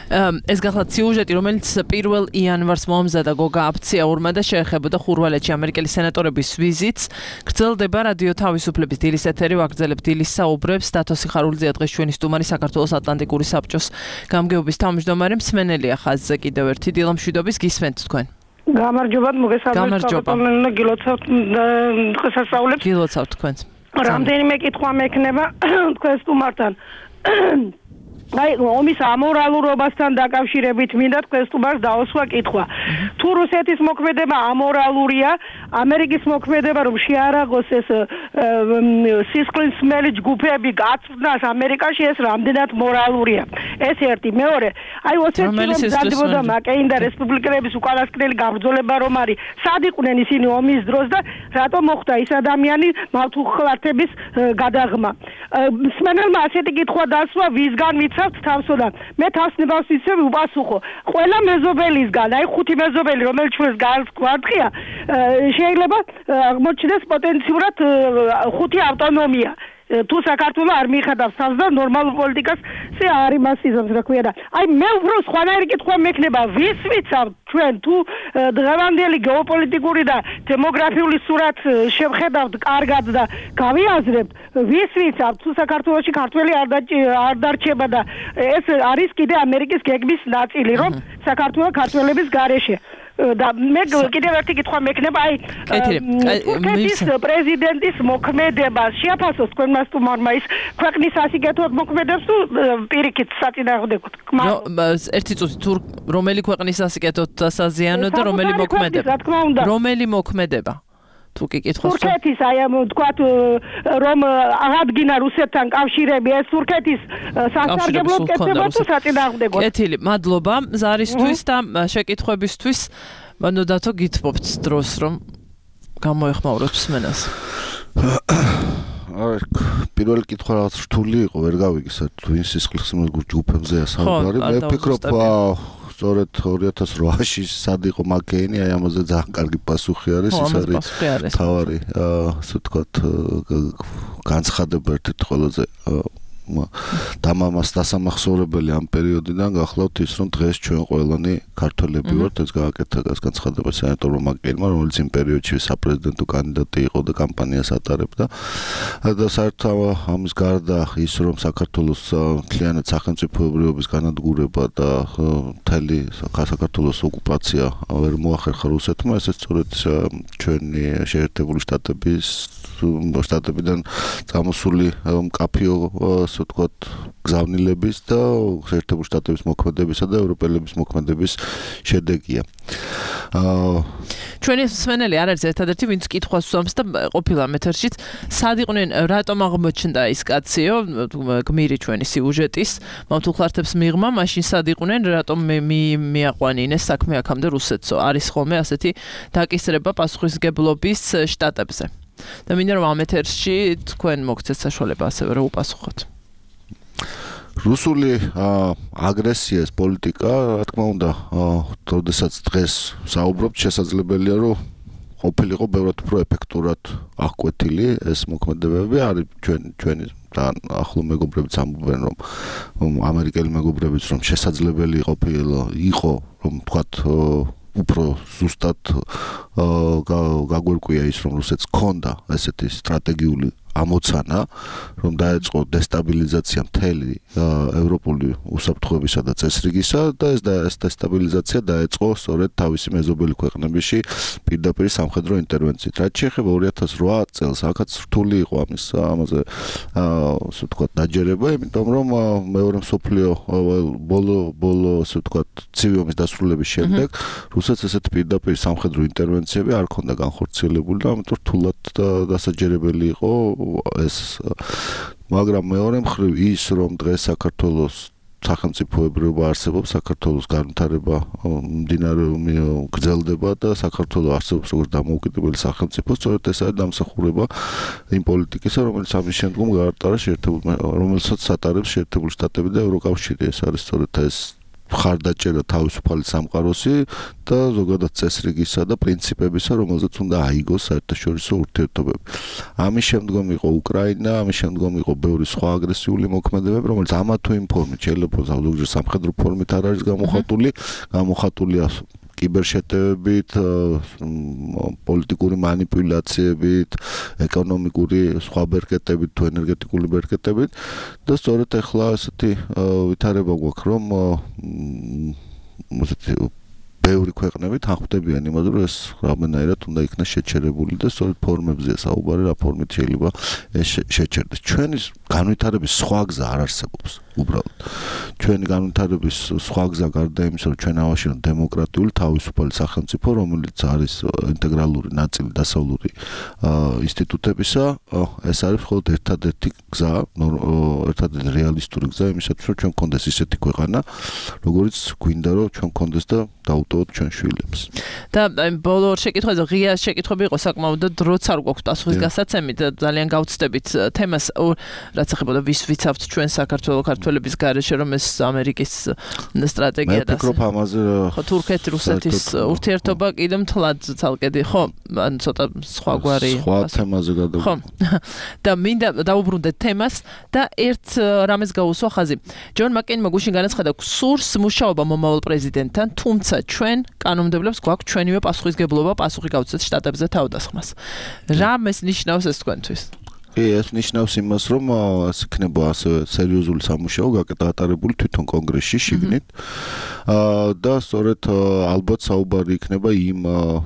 ეს გახლავთ სიუჟეტი, რომელიც 1 იანვარს მომზადა გოგა აფციაურმა და შეეხებოდა ხურვალეთში ამერიკელი სენატორების ვიზიტს. გრძელდება რადიო თავისუფლების დილის ეთერი, ვაგრძელებთ დილის საუბრებს. დათო სიხარულიძე დღეს ჩვენი სტუმარი საქართველოს ატლანტიკური საბჭოს გამგეობის თავმჯდომარე, მსმენელია ხაზზე კიდევ ერთი დილამშვიდობის გისმენთ თქვენ. გამარჯობათ, მოგესალმებით. გილოცავთ დღესასწაულებს. გილოცავთ თქვენს. რამდენიმე კითხვა მექნება თქვენ სტუმართან. აი, ომის ამორალურობასთან დაკავშირებით მინდა თქვენ სტუმარს დაუსვა კითხვა. თუ რუსეთის მოქმედება ამორალურია, ამერიკის მოქმედება რომ შეარაღოს ეს სისხლის მსმელი ჯგუფები გაწვნას ამერიკაში, ეს რამდენად მორალურია? ეს ერთი. მეორე, აი ოსეთში რომ დადებოდა მაკეინ და რესპუბლიკელების უკანასკნელი გამბრძოლება რომ არის, სად იყვნენ ისინი ომის დროს და რატომ მოხდა ის ადამიანი მავთუხლართების გადაღმა? მსმენელმა ასეთი კითხვა დასვა, ვისგან ვიცავთ თავსოდან? მე თავსნებას ვიცევ უპასუხო. ყველა მეზობელისგან, აი 5 მეზობელი, რომელიც ჩვენს გარს გვარდხია, შეიძლება აღმოჩნდეს პოტენციურად 5 ავტონომია. თუ საქართველო არ მიიხადავს თავს და ნორმალურ პოლიტიკას ზე არ იმასიზებს, რა ქვია და აი მე უფრო სხვანაირი კითხვა მექნება, ვის ვიცავთ ჩვენ თუ დღევანდელი გეოპოლიტიკური და დემოგრაფიული სურათ შევხედავთ კარგად და გავიაზრებთ, ვის ვიცავთ თუ საქართველოში ქართველი არ დარჩება და ეს არის კიდე ამერიკის გეგმის ნაწილი, რომ საქართველო ქართველების გარეშე და მე კიდევ ერთი კითხვა მექნება, აი თურქეთის პრეზიდენტის მოქმედებას შეაფასოს თქვენმა სტუმარმა, ის ქვეყნის ასიკეთოდ მოქმედებს თუ პირიქით საწინააღმდეგოდ? ერთი წუთი, თუ რომელი ქვეყნის ასიკეთოდ დასაზიანო და რომელი მოქმედება? რომელი მოქმედება? თუ კი კითხავს თურქეთის, აი თქვათ რომ აღადგინა რუსეთთან კავშირები, ეს თურქეთის სასარგებლო კეთება თუ საწინააღმდეგოდ? კეთილი, მადლობა ზარისთვის და შეკითხვებისთვის. მანო დათო გითხოვთ დროს რომ გამოეხმაუროთ მსმენელს. აი, პირველი კითხვა რაღაც რთული იყო, ვერ გავიგე, თუ ის სისხლის ჯგუფებზეა საუბარი. მე ვფიქრობ, სწორედ 2008-ში სად იყო მაკეინი, აი ამაზე ძალიან კარგი პასუხი არის, ის არის თავარი, ასე ვთქვათ, განცხადება ერთ-ერთი ყველაზე დამამას დასამახსოვრებელი ამ პერიოდიდან გახლავთ ის, რომ დღეს ჩვენ ყველანი ქართველები ვართ, ეს გააკეთა განცხადება სენატორმა მაკეინმა, რომელიც იმ პერიოდში საპრეზიდენტო კანდიდატი იყო და კამპანიას ატარებდა. და საერთოდ ამის გარდა ის, რომ საქართველოს მთლიანად სახელმწიფოებრიობის განადგურება და მთელი საქართველოს ოკუპაცია ვერ მოახერხა რუსეთმა, ეს სწორედ ჩვენი შეერთებული შტატებიდან წამოსული მკაფიო, ასე ვთქვათ, გზავნილების და შეერთებული შტატების მოქმედებისა და ევროპელების მოქმედების შედეგია. ჩვენი მსმენელი არ არის ერთადერთი, ვინც კითხვას უსვამს და ყოფილა მეთერშიც, სად იყვნენ, რატომ აღმოჩნდა ის კაციო, გმირი ჩვენი სიუჟეტის, მავთულხლართებს მიღმა, მაშინ სად იყვნენ, რატომ მიაყვანინეს საქმე აქამდე რუსეთსო. არის ხოლმე ასეთი დაკისრება პასუხისგებლობის შტატებზე. და მინდა რომ ამ ეთერში თქვენ მოგცეთ საშუალება ასევე რომ უპასუხოთ. რუსული აგრესიის პოლიტიკა, რა თქმა უნდა, როდესაც დღეს საუბრობთ, შესაძლებელია, რომ ყოფილიყო ბევრად უფრო ეფექტურად აღკვეთილი ეს მოქმედებები. არის ჩვენი თან ახლო მეგობრებიც ამბობენ, რომ ამერიკელი მეგობრებიც რომ შესაძლებელი იყო, რომ თქვათ უფრო ზუსტად გაგვერკვია ის, რომ რუსეთს ჰქონდა ესეთი სტრატეგიული ამოცანა, რომ დაეწყო დესტაბილიზაცია მთელი ევროპული უსაფრთხოებისა და წესრიგისა და ეს დესტაბილიზაცია დაეწყო სწორედ თავისი მეზობელი ქვეყნებიში პირდაპირ სამხედრო ინტერვენციით. რაც შეეხება 2008 წელს, აქაც რთული იყო ამაზე ასე ვთქვათ დაჯერება, იმიტომ რომ მეორე მსოფლიო ბოლო ასე ვთქვათ ცივი ომის დასრულების შემდეგ რუსეთს ესეთი პირდაპირ სამხედრო ინტერვენციები არ ჰქონდა განხორციელებული და ამიტომ რთულად დასაჯერებელი იყო ეს. მაგრამ მეორე მხრივ ის, რომ დღეს საქართველოს სახელმწიფოებრიობა არსებობს, საქართველოს განვითარება გრძელდება და საქართველოს არსებობს როგორც დამოუკიდებელი სახელმწიფო, სწორედ ეს არის დამსახურება იმ პოლიტიკისა, რომელიც ამის შემდგომ გაატარა რომელსაც ატარებს შეერთებული შტატები და ევროკავშირი. ეს არის სწორედ ეს მხარდაჭერა თავისუფალი სამყაროსი და ზოგადად წესრიგისა და პრინციპებისა, რომელზეც უნდა აიგოს საერთაშორისო ურთიერთობები. ამის შემდგომ იყო უკრაინა, ამის შემდგომ იყო ბევრი სხვა აგრესიული მოქმედებები, რომელიც ამა თუ იმ ფორმით შეიძლება ზოგჯერ სამხედრო ფორმით არ არის გამოხატულია კიბერშეტევებით, პოლიტიკური მანიპულაციებით, ეკონომიკური სხვა ბერკეტებით თუ ენერგეტიკული ბერკეტებით და სწორედ ახლა ასეთი ვითარება გვაქვს, რომ ბევრი ქვეყნები თანხმდებიან იმაზე, რომ ეს რამენაირად უნდა იქნას შეჩერებული და სწორედ ფორმებზეა საუბარი, რა ფორმით შეიძლება ეს შეჩერდეს. ჩვენი განვითარების სხვა გზა არ არსებობს. უბრალოდ ჩვენი განვითარების სხვა გზა გარდა იმისა, რომ ჩვენ ავაშენოთ დემოკრატიული თავისუფალი სახელმწიფო, რომელიც არის ინტეგრალური ნაწილი დასავლური ინსტიტუტებისა, ეს არის მხოლოდ ერთადერთი გზა, ერთადერთი რეალისტური გზა იმისათვის, რომ ჩვენ გქონდეს ისეთი ქვეყანა, როგორც გვინდა, რომ ჩვენ გქონდეს და დაუტოვოთ ჩვენ შვილებს. და ბოლო შეკითხვაზე ღია შეკითხვები იყო საკმაოდ და დროც არ გვაქვს პასუხის გასაცემი და ძალიან გავცდებით თემას, რაც ეხება ვის ვიცავთ ჩვენ საქართველოს ქართველების გარეშე, რომ ეს ამერიკის სტრატეგია და ფიქრობ ამაზე თურქეთ-რუსეთის ურთიერთობა კიდევ მთლად ცალკედი, ხო? ან ცოტა სხვაგვარი სხვა თემაზე გადავიდეთ. ხო. და მინდა დავუბრუნდეთ თემას და ერთ რამეს გაუსვა ხაზი. ჯონ მაკეინმა გუშინ განაცხადა, სურს მუშაობა მომავალ პრეზიდენტთან, თუმცა ჩვენ კანონმდებლებს გვაქვს ჩვენივე პასუხისგებლობა პასუხი გავცეთ შტატებზე თავდასხმას. რამეს ნიშნავს ეს თქვენთვის? ეს ნიშნავს იმას, რომ ეს იქნება ასე სერიოზული სამუშაო გაკეთებული თვითონ კონგრესში შიგნით. და სწორედ ალბათ საუბარი იქნება იმ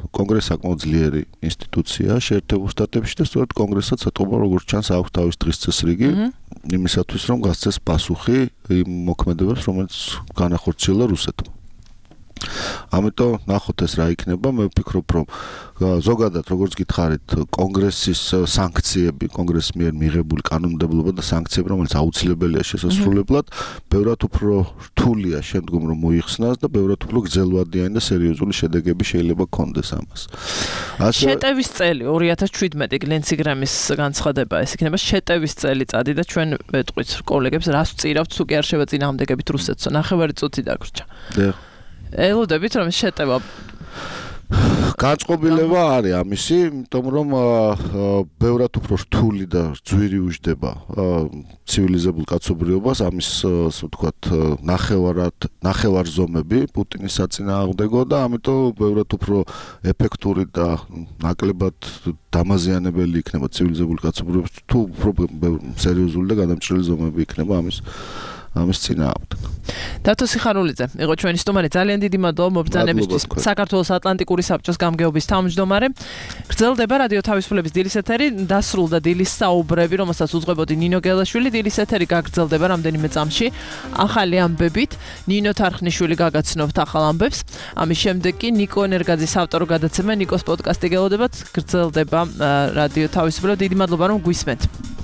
კონგრესს საკმაოდ ძლიერი ინსტიტუცია შეერთებულ შტატებში და სწორედ კონგრესსაც ეთყობა, როგორც ჩანს, აქვს თავის დღის წესრიგი იმისათვის, რომ გასცეს პასუხი იმ მოქმედებებს, რომელიც განახორციელა რუსეთმა. ამიტომ ნახოთ ეს რა იქნება. მე ვფიქრობ, რომ ზოგადად როგორც გითხარით, კონგრესის სანქციები, კონგრესის მიერ მიღებული კანონმდებლობა და სანქციები, რომელიც აუცილებელია შესასრულებლად, ბევრად უფრო რთულია შემდგომ რომ მოიხსნას და ბევრად უფრო გრძელვადიანი და სერიოზული შედეგები შეიძლება გქონდეს ამას. შეტევის წელი 2017 გლენციგრამის განცხადება ეს იქნება შეტევის წელიწადი და ჩვენ ვეტყვით კოლეგებს რას ვწირავთ თუ კი არ შევა წინააღმდეგებით რუსეთსო. ნახევარი წუთი დაგვრჩა. ელოდებით რომ შეტევა განწყობილება არის ამისი, იმიტომ რომ ბევრად უფრო რთული და ძვირი უჯდება ცივილიზებულ კაცობრიობას ამის ასე ვთქვათ ნახევარ ზომები პუტინის საწინააღმდეგო და ამიტომ ბევრად უფრო ეფექტური და ნაკლებად დამაზიანებელი იქნება ცივილიზებული კაცობრიობის თუ უფრო სერიოზული და გადამჭრელი ზომები იქნება ამის წინააღმდეგ. დათო სიხარულიძე იყო ჩვენი სტუმარი. ძალიან დიდი მადლობა მობრძანებისთვის. საქართველოს ატლანტიკური საბჭოს გამგეობის თავმჯდომარე. გრძელდება რადიო თავისუფლების დილის ეთერი, დასრულდა დილის საუბრები, რომელსაც უძღვებოდი ნინო გელაშვილი. დილის ეთერი გაგრძელდება რამდენიმე წამში ახალი ამბებით. ნინო თარხნიშვილი გაგაცნობთ ახალ ამბებს. ამის შემდეგ კი ნიკო ენერგაძის ავტორო გადაცემა ნიკოს პოდკასტი გელოდებათ. გრძელდება რადიო თავისუფლება. დიდი მადლობა რომ გვისმენთ.